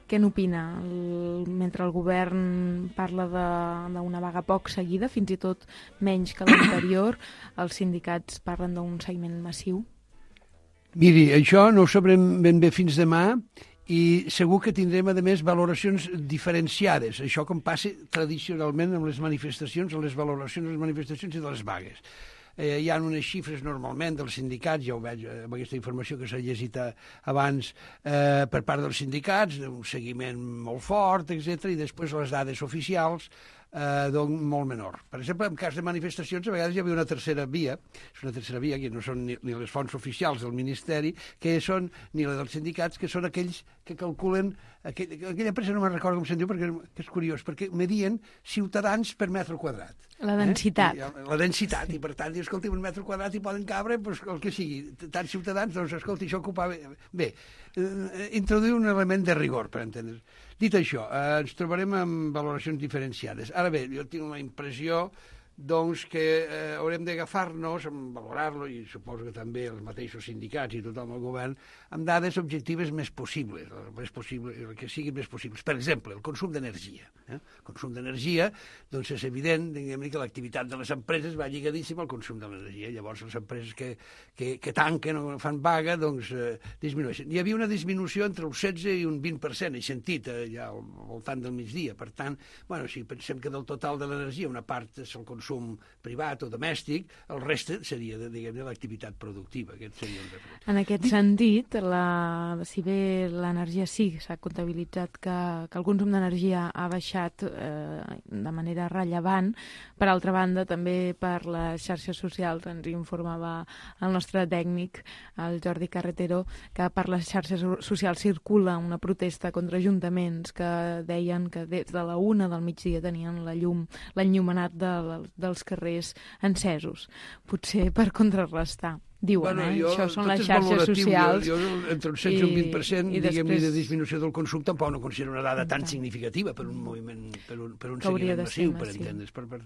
què n'opina? El, mentre el govern parla d'una vaga poc seguida, fins i tot menys que l'anterior, els sindicats parlen d'un seguiment massiu? Miri, això no ho sabrem ben bé fins demà, i segur que tindrem, a més, valoracions diferenciades. Això com passa tradicionalment amb les manifestacions, amb les valoracions de les manifestacions i de les vagues. Eh, hi ha unes xifres normalment dels sindicats, ja ho veig amb aquesta informació que s'ha llegit abans, eh, per part dels sindicats, un seguiment molt fort, etcètera, i després les dades oficials, eh, doncs molt menor. Per exemple, en cas de manifestacions, a vegades hi havia una tercera via, és una tercera via que no són ni, ni les fonts oficials del Ministeri, que són ni les dels sindicats, que són aquells que calculen, aquell, aquella empresa no me'n recordo com se'n diu, perquè que és curiós, perquè medien ciutadans per metre quadrat. La densitat. Eh? La densitat, i per tant, dius, escolti, un metre quadrat hi poden cabre, doncs, el que sigui, tants ciutadans, doncs, escolti, això ocupava... Bé, eh, introduir un element de rigor, per entendre's. Dit això, eh, ens trobarem amb valoracions diferenciades. Ara bé, jo tinc la impressió doncs que eh, haurem d'agafar-nos, valorar-lo, i suposo que també els mateixos sindicats i tothom el govern, amb dades objectives més possibles, el, més possible, el que siguin més possibles. Per exemple, el consum d'energia. Eh? El consum d'energia, doncs és evident, diguem-ne, que l'activitat de les empreses va lligadíssima al consum de l'energia. Llavors, les empreses que, que, que tanquen o fan vaga, doncs eh, disminueixen. Hi havia una disminució entre un setze i un vint per cent, he sentit, eh, ja al voltant del migdia. Per tant, bueno, si pensem que del total de l'energia una part és el consum consum privat o domèstic, el reste seria, diguem-ne, l'activitat productiva. Aquest seria el reflex. En aquest sentit, la, si bé l'energia sí, s'ha comptabilitzat que, que el consum d'energia ha baixat eh, de manera rellevant, per altra banda, també per les xarxes socials, ens informava el nostre tècnic, el Jordi Carretero, que per les xarxes socials circula una protesta contra ajuntaments que deien que des de la una del migdia tenien la llum, l'enllumenat de, dels carrers encesos, potser per contrarrestar. Diuen, bueno, eh? Jo, això són les xarxes socials. Jo, jo, entre un setze i un vint per cent, diguem-ne, de disminució del consum, tampoc no considero una dada tan significativa per un moviment, per un, per un seguiment massiu, per entendre's. Per, per...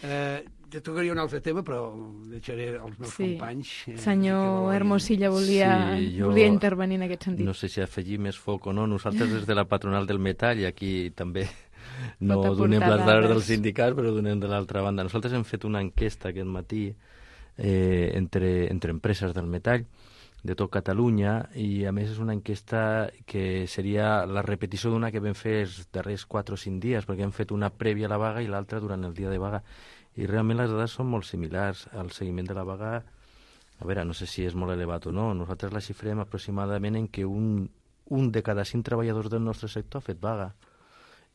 Eh, ja tocaria un altre tema, però deixaré els meus sí. companys. Eh, Senyor Hermosilla volia, sí, jo... volia intervenir en aquest sentit. No sé si afegir més foc o no. Nosaltres des de la patronal del metall, i aquí també no donem les dades dels sindicats, però donem de l'altra banda. Nosaltres hem fet una enquesta aquest matí eh, entre, entre empreses del metall de tot Catalunya, i a més és una enquesta que seria la repetició d'una que vam fer els darrers quatre o cinc dies, perquè hem fet una prèvia a la vaga i l'altra durant el dia de vaga, i realment les dades són molt similars. El seguiment de la vaga, a veure, no sé si és molt elevat o no, nosaltres la xifrem aproximadament en que un, un de cada cinc treballadors del nostre sector ha fet vaga,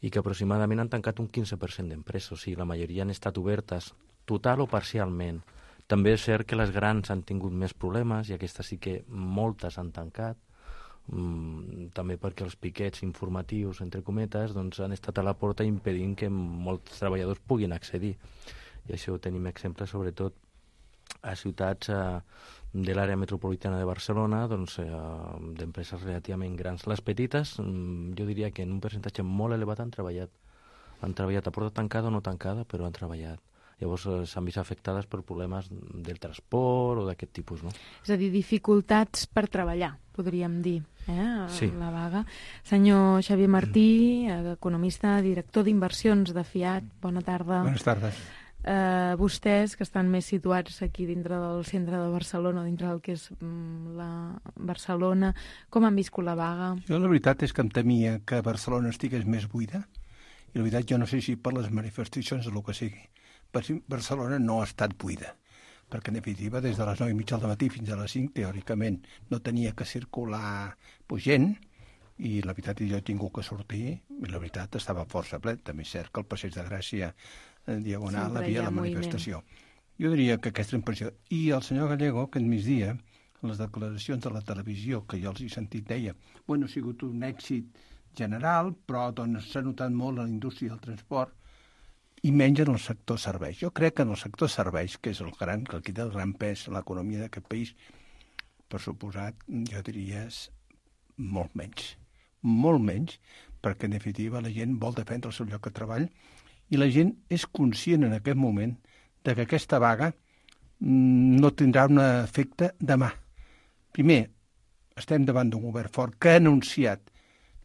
i que aproximadament han tancat un quinze per cent d'empreses, o sigui, la majoria han estat obertes, total o parcialment. També és cert que les grans han tingut més problemes, i aquestes sí que moltes han tancat, mm, també perquè els piquets informatius, entre cometes, doncs han estat a la porta impedint que molts treballadors puguin accedir. I això tenim exemples, sobretot, a ciutats eh, de l'àrea metropolitana de Barcelona, doncs, eh, d'empreses relativament grans. Les petites, jo diria que en un percentatge molt elevat han treballat. Han treballat a porta tancada o no tancada, però han treballat. Llavors eh, s'han vist afectades per problemes del transport o d'aquest tipus, no? És a dir, dificultats per treballar, podríem dir, eh, sí. la vaga. Senyor Xavier Martí, economista, director d'inversions de Fiat, bona tarda. Bones tardes. Eh, vostès, que estan més situats aquí dintre del centre de Barcelona, dintre del que és mm, la Barcelona, com han viscut la vaga? Jo la veritat és que em temia que Barcelona estigués més buida, i la veritat jo no sé si per les manifestacions o el que sigui. Barcelona no ha estat buida, perquè en definitiva des de les nou i mitja del matí fins a les cinc, teòricament, no tenia que circular pues, gent, i la veritat és que jo he tingut que sortir, i la veritat estava força ple. També és cert que el Passeig de Gràcia en diagonal sempre havia la manifestació. Moviment. Jo diria que aquesta impressió... I el senyor Gallego, aquest migdia, en les declaracions de la televisió, que jo els he sentit, deia, bueno, ha sigut un èxit general, però doncs, s'ha notat molt en la indústria del transport, i menys en el sector serveis. Jo crec que en el sector serveis, que és el gran, que aquí té el gran pes en l'economia d'aquest país, per suposat, jo diria molt menys. Molt menys, perquè en definitiva la gent vol defendre el seu lloc de treball, i la gent és conscient en aquest moment de que aquesta vaga no tindrà un efecte demà. Primer, estem davant d'un govern fort que ha anunciat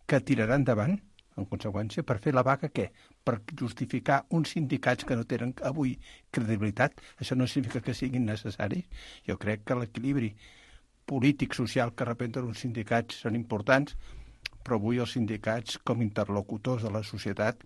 que tirarà endavant, en conseqüència, per fer la vaga, què? Per justificar uns sindicats que no tenen avui credibilitat. Això no significa que siguin necessaris. Jo crec que l'equilibri polític, social que representen uns sindicats són importants, però avui els sindicats, com interlocutors de la societat,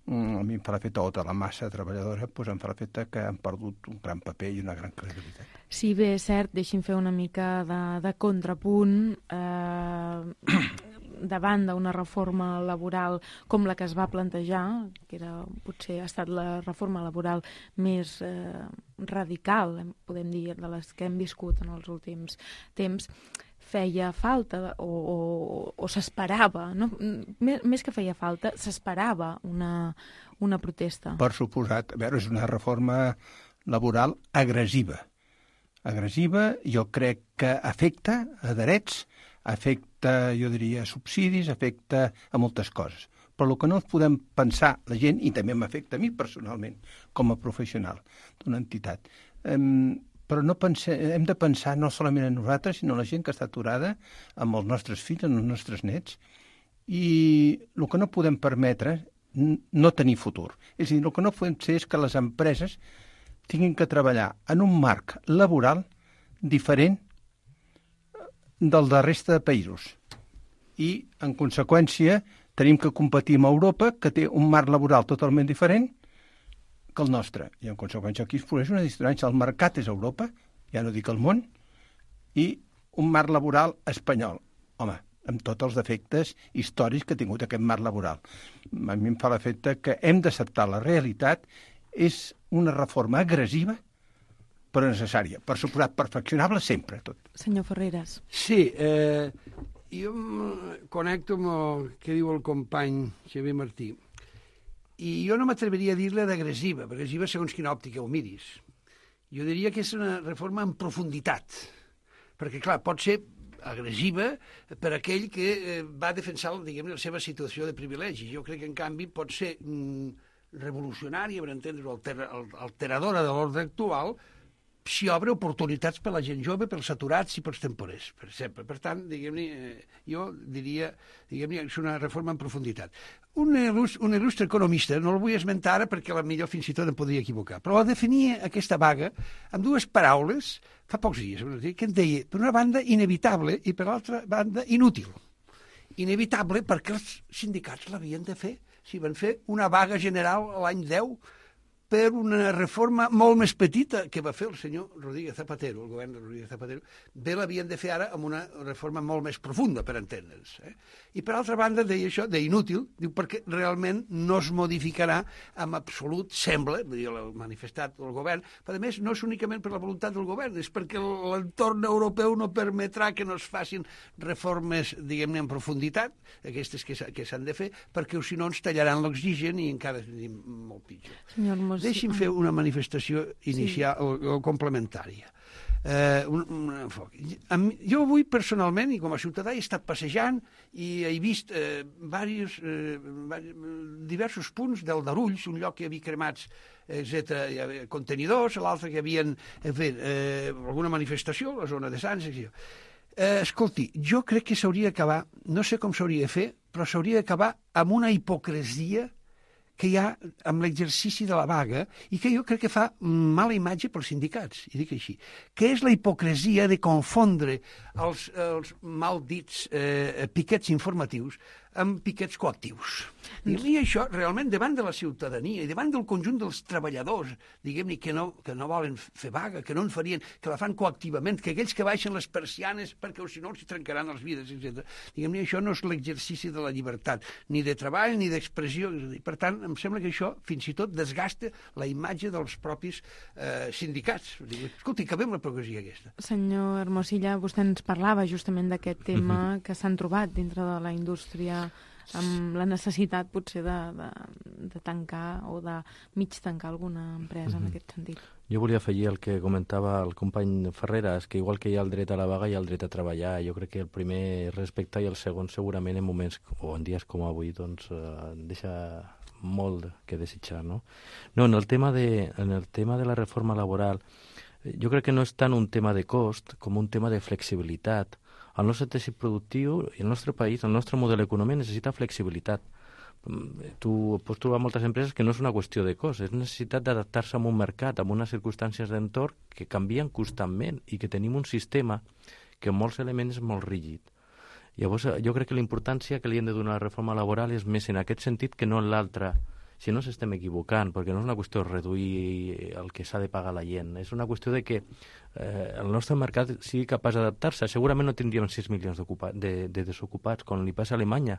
a mi em fa l'efecte, o de la massa treballadora, doncs em fa l'efecte que han perdut un gran paper i una gran credibilitat. Sí, bé, és cert, deixi'm fer una mica de, de contrapunt. Eh, davant d'una reforma laboral com la que es va plantejar, que era, potser ha estat la reforma laboral més eh, radical, podem dir, de les que hem viscut en els últims temps, feia falta o, o, o s'esperava, no? més, més que feia falta, s'esperava una, una protesta. Per suposat, a veure, és una reforma laboral agressiva. Agressiva, jo crec que afecta a drets, afecta, jo diria, a subsidis, afecta a moltes coses. Però el que no podem pensar, la gent, i també m'afecta a mi personalment, com a professional d'una entitat, eh, però no pense, hem de pensar no solament en nosaltres, sinó en la gent que està aturada, amb els nostres fills, amb els nostres nets, i el que no podem permetre no tenir futur. És a dir, el que no podem fer és que les empreses tinguin que treballar en un marc laboral diferent del de resta de països. I, en conseqüència, tenim que competir amb Europa, que té un marc laboral totalment diferent que el nostre. I, en conseqüència, aquí es produeix una distància. El mercat és Europa, ja no dic el món, i un marc laboral espanyol. Home, amb tots els defectes històrics que ha tingut aquest marc laboral. A mi em fa l'efecte que hem d'acceptar la realitat. És una reforma agressiva, però necessària. Per suposat, perfeccionable sempre, tot. Senyor Ferreras. Sí, eh, jo em connecto amb el que diu el company Xavier Martí. I jo no m'atreveria a dir-la d'agressiva, perquè agressiva segons quina òptica ho miris. Jo diria que és una reforma en profunditat, perquè, clar, pot ser agressiva per aquell que eh, va defensar, diguem, la seva situació de privilegi. Jo crec que, en canvi, pot ser mm, revolucionària, per entendre-ho, alter, alteradora de l'ordre actual, si obre oportunitats per a la gent jove, pels aturats i pels temporers, per exemple. Per tant, diguem-ne, eh, jo diria, diguem-ne, és una reforma en profunditat. Un il·lustre, un il·lustre economista, no el vull esmentar ara perquè potser fins i tot em podria equivocar, però definia aquesta vaga amb dues paraules fa pocs dies, que en deia, per una banda, inevitable i per l'altra banda, inútil. Inevitable perquè els sindicats l'havien de fer. Si van fer una vaga general l'any deu per una reforma molt més petita que va fer el senyor Rodríguez Zapatero, el govern de Rodríguez Zapatero, bé l'havien de fer ara amb una reforma molt més profunda, per entendre'ns. Eh? I per altra banda, deia això, d'inútil, diu, perquè realment no es modificarà amb absolut, sembla, el manifestat del govern, però a més no és únicament per la voluntat del govern, és perquè l'entorn europeu no permetrà que no es facin reformes, diguem-ne, en profunditat, aquestes que s'han de fer, perquè si no ens tallaran l'oxigen i encara tenim molt pitjor. Senyor Mos... Deixi'm fer una manifestació inicial sí. o, o complementària. Eh, un, un enfoc. Jo avui, personalment, i com a ciutadà, he estat passejant i he vist eh, diversos, eh, diversos punts del Darulls, un lloc que hi havia cremats etcètera, hi havia contenidors, l'altre que havien fet eh, alguna manifestació, la zona de Sants, etcètera. Eh, escolti, jo crec que s'hauria d'acabar, no sé com s'hauria de fer, però s'hauria d'acabar amb una hipocresia que hi ha amb l'exercici de la vaga i que jo crec que fa mala imatge pels sindicats, i dic així, que és la hipocresia de confondre els, els mal dits eh, piquets informatius amb piquets coactius. I això, realment, davant de la ciutadania i davant del conjunt dels treballadors, diguem-ne, que, no, que no volen fer vaga, que no en farien, que la fan coactivament, que aquells que baixen les persianes perquè o si no els trencaran les vides, etcètera. Diguem-ne, això no és l'exercici de la llibertat, ni de treball ni d'expressió. Per tant, em sembla que això fins i tot desgasta la imatge dels propis eh, sindicats. Escolti, acabem la progressia aquesta. Senyor Hermosilla, vostè ens parlava justament d'aquest tema uh-huh. que s'han trobat dintre de la indústria amb la necessitat potser de, de, de tancar o de mig tancar alguna empresa uh-huh. en aquest sentit. Jo volia afegir el que comentava el company Ferreras, que igual que hi ha el dret a la vaga, hi ha el dret a treballar. Jo crec que el primer és respectar i el segon segurament en moments o en dies com avui doncs eh, deixa molt que desitjar, no? No, en el tema de, en el tema de la reforma laboral, jo crec que no és tant un tema de cost com un tema de flexibilitat. El nostre teixit productiu i el nostre país, el nostre model econòmic necessita flexibilitat. Tu pots trobar moltes empreses que no és una qüestió de cost, és necessitat d'adaptar-se a un mercat, a unes circumstàncies d'entorn que canvien constantment i que tenim un sistema que en molts elements és molt rígid. Llavors, jo crec que la importància que li hem de donar a la reforma laboral és més en aquest sentit que no en l'altre. Si no s'estem equivocant, perquè no és una qüestió de reduir el que s'ha de pagar la gent, és una qüestió de que eh, el nostre mercat sigui capaç d'adaptar-se. Segurament no tindríem sis milions de, de desocupats, com li passa a Alemanya,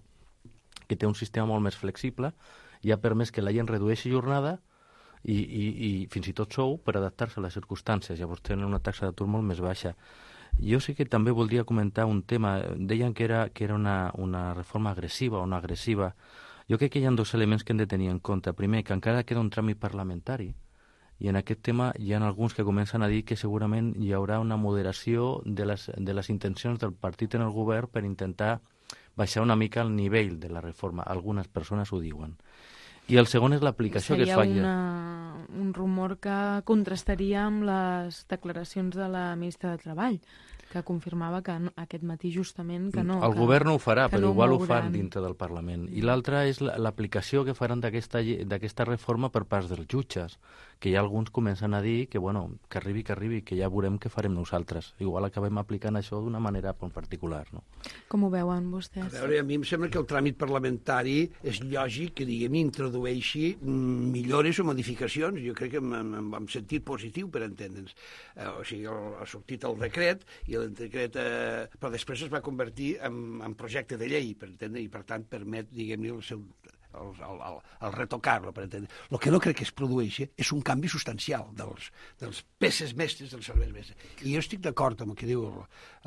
que té un sistema molt més flexible i ha permès que la gent redueixi jornada i, i, i fins i tot sou per adaptar-se a les circumstàncies. Llavors tenen una taxa d'atur molt més baixa. Jo sí que també voldria comentar un tema. Deien que era, que era una, una reforma agressiva o no agressiva. Jo crec que hi ha dos elements que hem de tenir en compte. Primer, que encara queda un tràmit parlamentari i en aquest tema hi ha alguns que comencen a dir que segurament hi haurà una moderació de les, de les intencions del partit en el govern per intentar baixar una mica el nivell de la reforma. Algunes persones ho diuen. I el segon és l'aplicació que es fa. Seria un rumor que contrastaria amb les declaracions de la ministra de Treball, que confirmava que no, aquest matí justament que no. El que, govern no ho farà, però no igual mouran. ho fan dintre del Parlament. I l'altra és l'aplicació que faran d'aquesta reforma per part dels jutges, que ja alguns comencen a dir que, bueno, que arribi, que arribi, que ja veurem què farem nosaltres. Igual acabem aplicant això d'una manera particular, no? Com ho veuen vostès? A veure, a mi em sembla que el tràmit parlamentari és lògic que, diguem, introdueixi millores o modificacions. Jo crec que en sentit positiu, per entendre'ns. Eh, o sigui, el, ha sortit el decret i el decret, eh, però després es va convertir en, en projecte de llei, per entendre, i per tant permet, diguem-ne, el seu el, el, el, el retocar-lo, per entendre. El que no crec que es produeixi és un canvi substancial dels, dels peces mestres, dels serveis mestres. I jo estic d'acord amb el que diu el,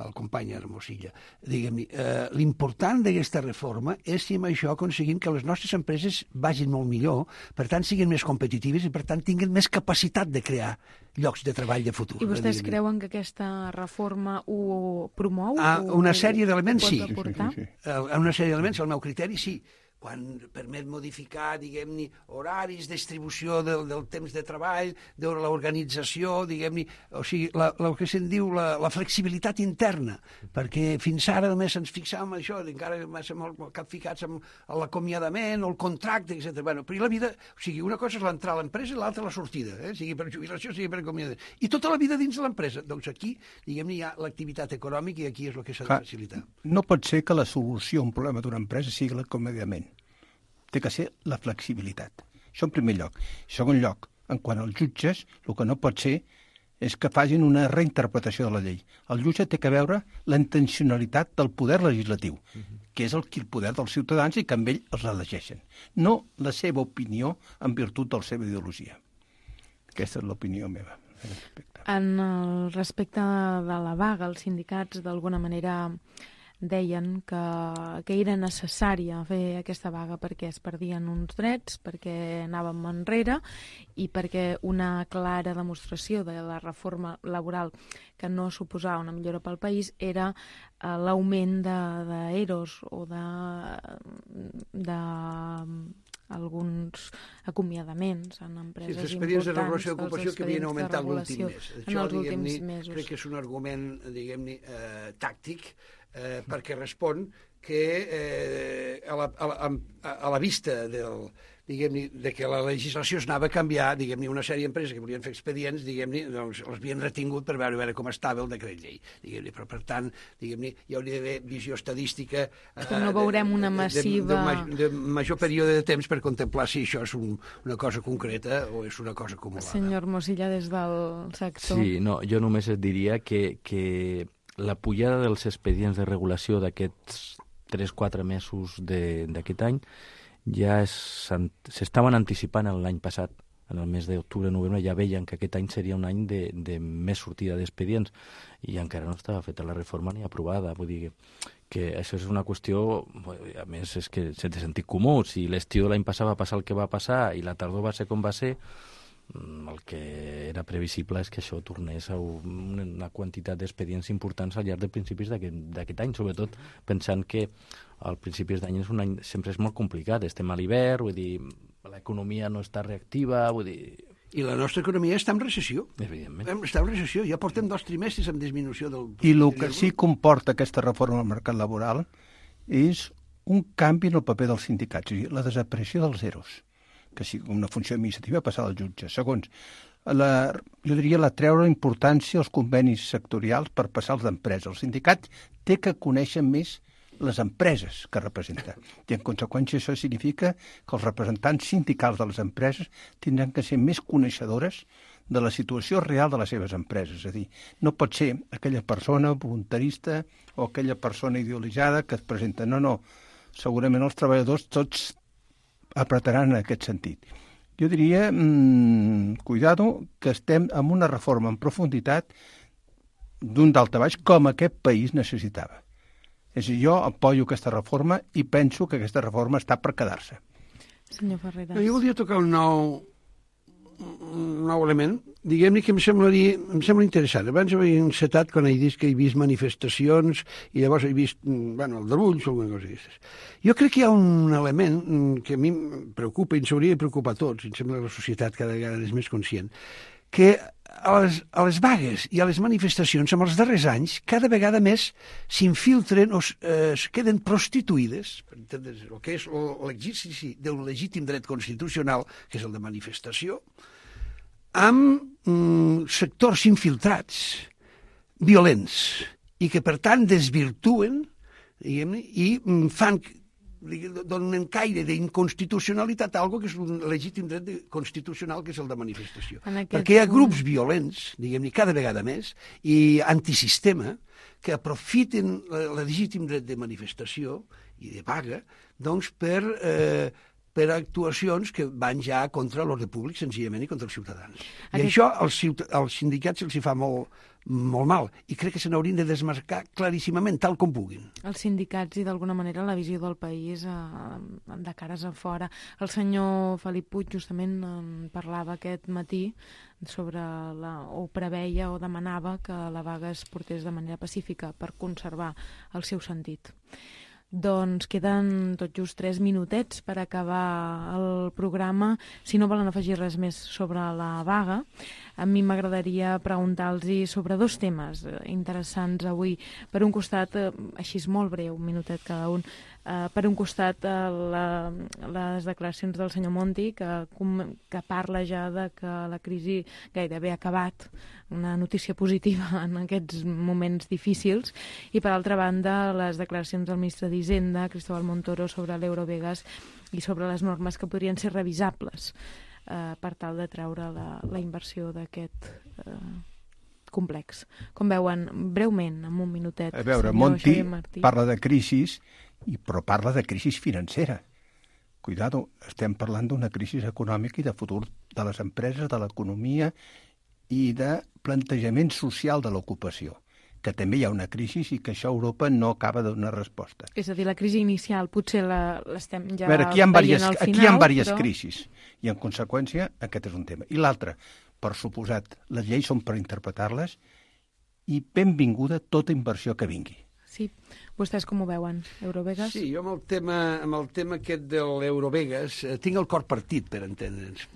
el company Hermosilla. Diguem-ne, eh, l'important d'aquesta reforma és si amb això aconseguim que les nostres empreses vagin molt millor, per tant siguin més competitives i per tant tinguin més capacitat de crear llocs de treball de futur. I vostès eh, creuen que aquesta reforma ho promou? Ah, una sèrie d'elements, sí. Sí, sí, sí. Una sèrie d'elements, al meu criteri, sí. Quan permet modificar, diguem-ne, horaris, distribució del, del temps de treball, de l'organització, diguem-ne, o sigui, la, la, el que se'n diu la, la flexibilitat interna, perquè fins ara només ens fixàvem en això, encara massa molt capficats amb l'acomiadament o el contracte, etcètera. Bueno, però la vida, o sigui, una cosa és l'entrar a l'empresa i l'altra la sortida, eh? sigui per jubilació, sigui per acomiadament. I tota la vida dins de l'empresa. Doncs aquí, diguem-ne, hi ha l'activitat econòmica i aquí és el que s'ha de facilitar. No pot ser que la solució a un problema d'una empresa sigui l'acomiadament. Té que ser la flexibilitat. Això en primer lloc. En segon lloc, en quant als jutges, el que no pot ser és que facin una reinterpretació de la llei. El jutge té que veure la intencionalitat del poder legislatiu, uh-huh. que és el, el poder dels ciutadans i que amb ell els elegeixen. No la seva opinió en virtut de la seva ideologia. Aquesta és l'opinió meva. En el respecte de la vaga, els sindicats d'alguna manera deien que, que era necessària fer aquesta vaga perquè es perdien uns drets, perquè anàvem enrere i perquè una clara demostració de la reforma laboral que no suposava una millora pel país era eh, l'augment d'eros o de, de alguns acomiadaments en empreses importants. Sí, els expedients de regulació d'ocupació que havien augmentat l'últim mes. Això, diguem-ne, crec que és un argument, diguem-ne, eh, tàctic, eh, perquè respon que eh, a, la, a, la, a la vista del, diguem-ne, de que la legislació es anava a canviar, diguem-ne, una sèrie d'empreses que volien fer expedients, diguem-ne, doncs els havien retingut per veure, veure com estava el decret llei, diguem-ne, però per tant, diguem-ne, hi hauria d'haver visió estadística eh, però no veurem una massiva... De, de, de, de major període de temps per contemplar si això és un, una cosa concreta o és una cosa acumulada. Senyor Mosilla, des del sector... Sí, no, jo només et diria que, que la pujada dels expedients de regulació d'aquests tres quatre mesos d'aquest any ja s'estaven anticipant l'any passat, en el mes d'octubre-novembre, ja veien que aquest any seria un any de, de més sortida d'expedients i encara no estava feta la reforma ni aprovada. Vull dir que, que això és una qüestió, a més, és que és de sentit comú. Si l'estiu de l'any passat va passar el que va passar i la tardor va ser com va ser, el que era previsible és que això tornés a una quantitat d'expedients importants al llarg de principis d'aquest any, sobretot pensant que al principis d'any és un any sempre és molt complicat, estem a l'hivern, vull dir, l'economia no està reactiva, vull dir... I la nostra economia està en recessió. Evidentment. Està en recessió, ja portem dos trimestres amb disminució del... I el que sí comporta aquesta reforma al mercat laboral és un canvi en el paper dels sindicats, és a dir, la desaparició dels eros, que sigui una funció administrativa passar al jutge. Segons, la, jo diria la treure importància als convenis sectorials per passar als d'empresa. El sindicat té que conèixer més les empreses que representa. I en conseqüència això significa que els representants sindicals de les empreses tindran que ser més coneixedores de la situació real de les seves empreses. És a dir, no pot ser aquella persona voluntarista o aquella persona idealitzada que es presenta. No, no. Segurament els treballadors tots apretaran en aquest sentit. Jo diria, mmm, cuidado, que estem en una reforma en profunditat d'un daltabaix com aquest país necessitava. És a dir, jo apoyo aquesta reforma i penso que aquesta reforma està per quedar-se. Senyor Ferreras. Jo voldria tocar un nou, un nou element, diguem-ne que em semblaria, em sembla interessant. Abans he encetat quan he dit que he vist manifestacions i llavors he vist, bueno, aldarulls o alguna cosa d'aquestes. Jo crec que hi ha un element que a mi em preocupa i ens hauria de preocupar a tots, em sembla que la societat cada vegada és més conscient, que a les, a les vagues i a les manifestacions, en els darrers anys, cada vegada més s'infiltren o eh, es queden prostituïdes, per entendre's, el que és l'exercici d'un legítim dret constitucional, que és el de manifestació, amb mm, sectors infiltrats, violents, i que, per tant, desvirtuen, diguem-ne, i mm, fan donen caire d'inconstitucionalitat a algo que és un legítim dret constitucional, que és el de manifestació. Perquè hi ha grups violents, diguem-ne, cada vegada més, i antisistema, que aprofiten el legítim dret de manifestació i de vaga, doncs, per, eh, per actuacions que van ja contra l'ordre públic, senzillament, i contra els ciutadans. I Aquest... això als, ciut... als sindicats se'ls fa molt, molt mal, i crec que se n'haurien de desmarcar claríssimament, tal com puguin. Els sindicats i, d'alguna manera, la visió del país eh, de cares a fora. El senyor Felip Puig justament en parlava aquest matí sobre la, o preveia o demanava que la vaga es portés de manera pacífica per conservar el seu sentit. Doncs queden tot just tres minutets per acabar el programa. Si no volen afegir res més sobre la vaga, a mi m'agradaria preguntar-los sobre dos temes interessants avui. Per un costat, així és molt breu, un minutet cada un, Uh, per un costat, uh, la, les declaracions del senyor Monti, que, que parla ja de que la crisi gairebé ha acabat, una notícia positiva en aquests moments difícils, i per altra banda, les declaracions del ministre d'Hisenda, Cristóbal Montoro, sobre l'Eurovegas i sobre les normes que podrien ser revisables uh, per tal de treure la, la inversió d'aquest uh, complex. Com veuen, breument, en un minutet. A veure, Monti parla de crisis, i però parla de crisi financera. Cuidado, estem parlant d'una crisi econòmica i de futur de les empreses, de l'economia i de plantejament social de l'ocupació, que també hi ha una crisi i que això a Europa no acaba de donar resposta. És a dir, la crisi inicial potser l'estem ja veure, aquí veient varias, al final, aquí hi ha diverses però... crisis, i en conseqüència aquest és un tema. I l'altre, per suposat, les lleis són per interpretar-les i benvinguda tota inversió que vingui. Sí. Vostès com ho veuen, Eurovegas? Sí, jo amb el tema, amb el tema aquest de l'Eurovegas eh, tinc el cor partit, per entendre'ns.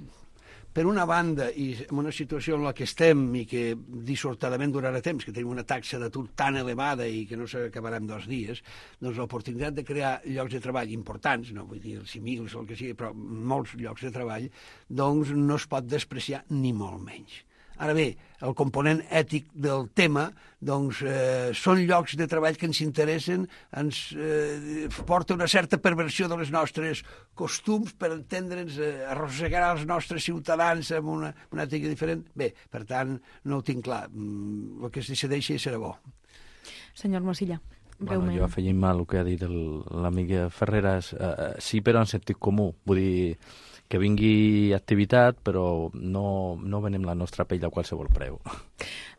Per una banda, i en una situació en la que estem i que dissortadament durarà temps, que tenim una taxa d'atur tan elevada i que no s'acabarà en dos dies, doncs l'oportunitat de crear llocs de treball importants, no vull dir els cinc mil o el que sigui, però molts llocs de treball, doncs no es pot despreciar ni molt menys. Ara bé, el component ètic del tema, doncs, eh, són llocs de treball que ens interessen, ens eh, porta una certa perversió de les nostres costums, per entendre'ns, eh, arrossegar els nostres ciutadans amb una, una ètica diferent. Bé, per tant, no ho tinc clar. El que es decideixi serà bo. Senyor Mosilla, breument. Bueno, jo afegim el que ha dit l'amic Ferreras, eh, sí, però en sentit comú. Vull dir, que vingui activitat, però no, no venem la nostra pell a qualsevol preu.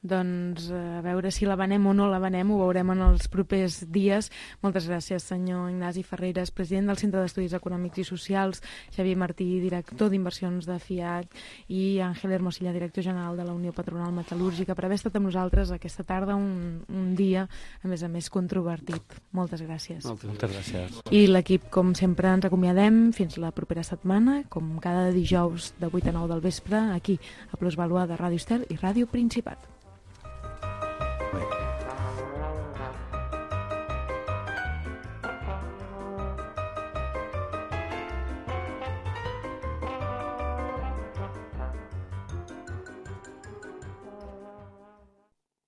Doncs a veure si la venem o no la venem, ho veurem en els propers dies. Moltes gràcies, senyor Ignasi Ferreras, president del Centre d'Estudis Econòmics i Socials, Xavier Martí, director d'Inversions de FIAC, i Àngel Hermosilla, director general de la Unió Patronal Metal·lúrgica, per haver estat amb nosaltres aquesta tarda, un, un dia, a més a més, controvertit. Moltes gràcies. Moltes gràcies. I l'equip, com sempre, ens acomiadem fins la propera setmana, com cada dijous de vuit a nou del vespre, aquí, a Plusvalua de Ràdio Estel i Ràdio Principat.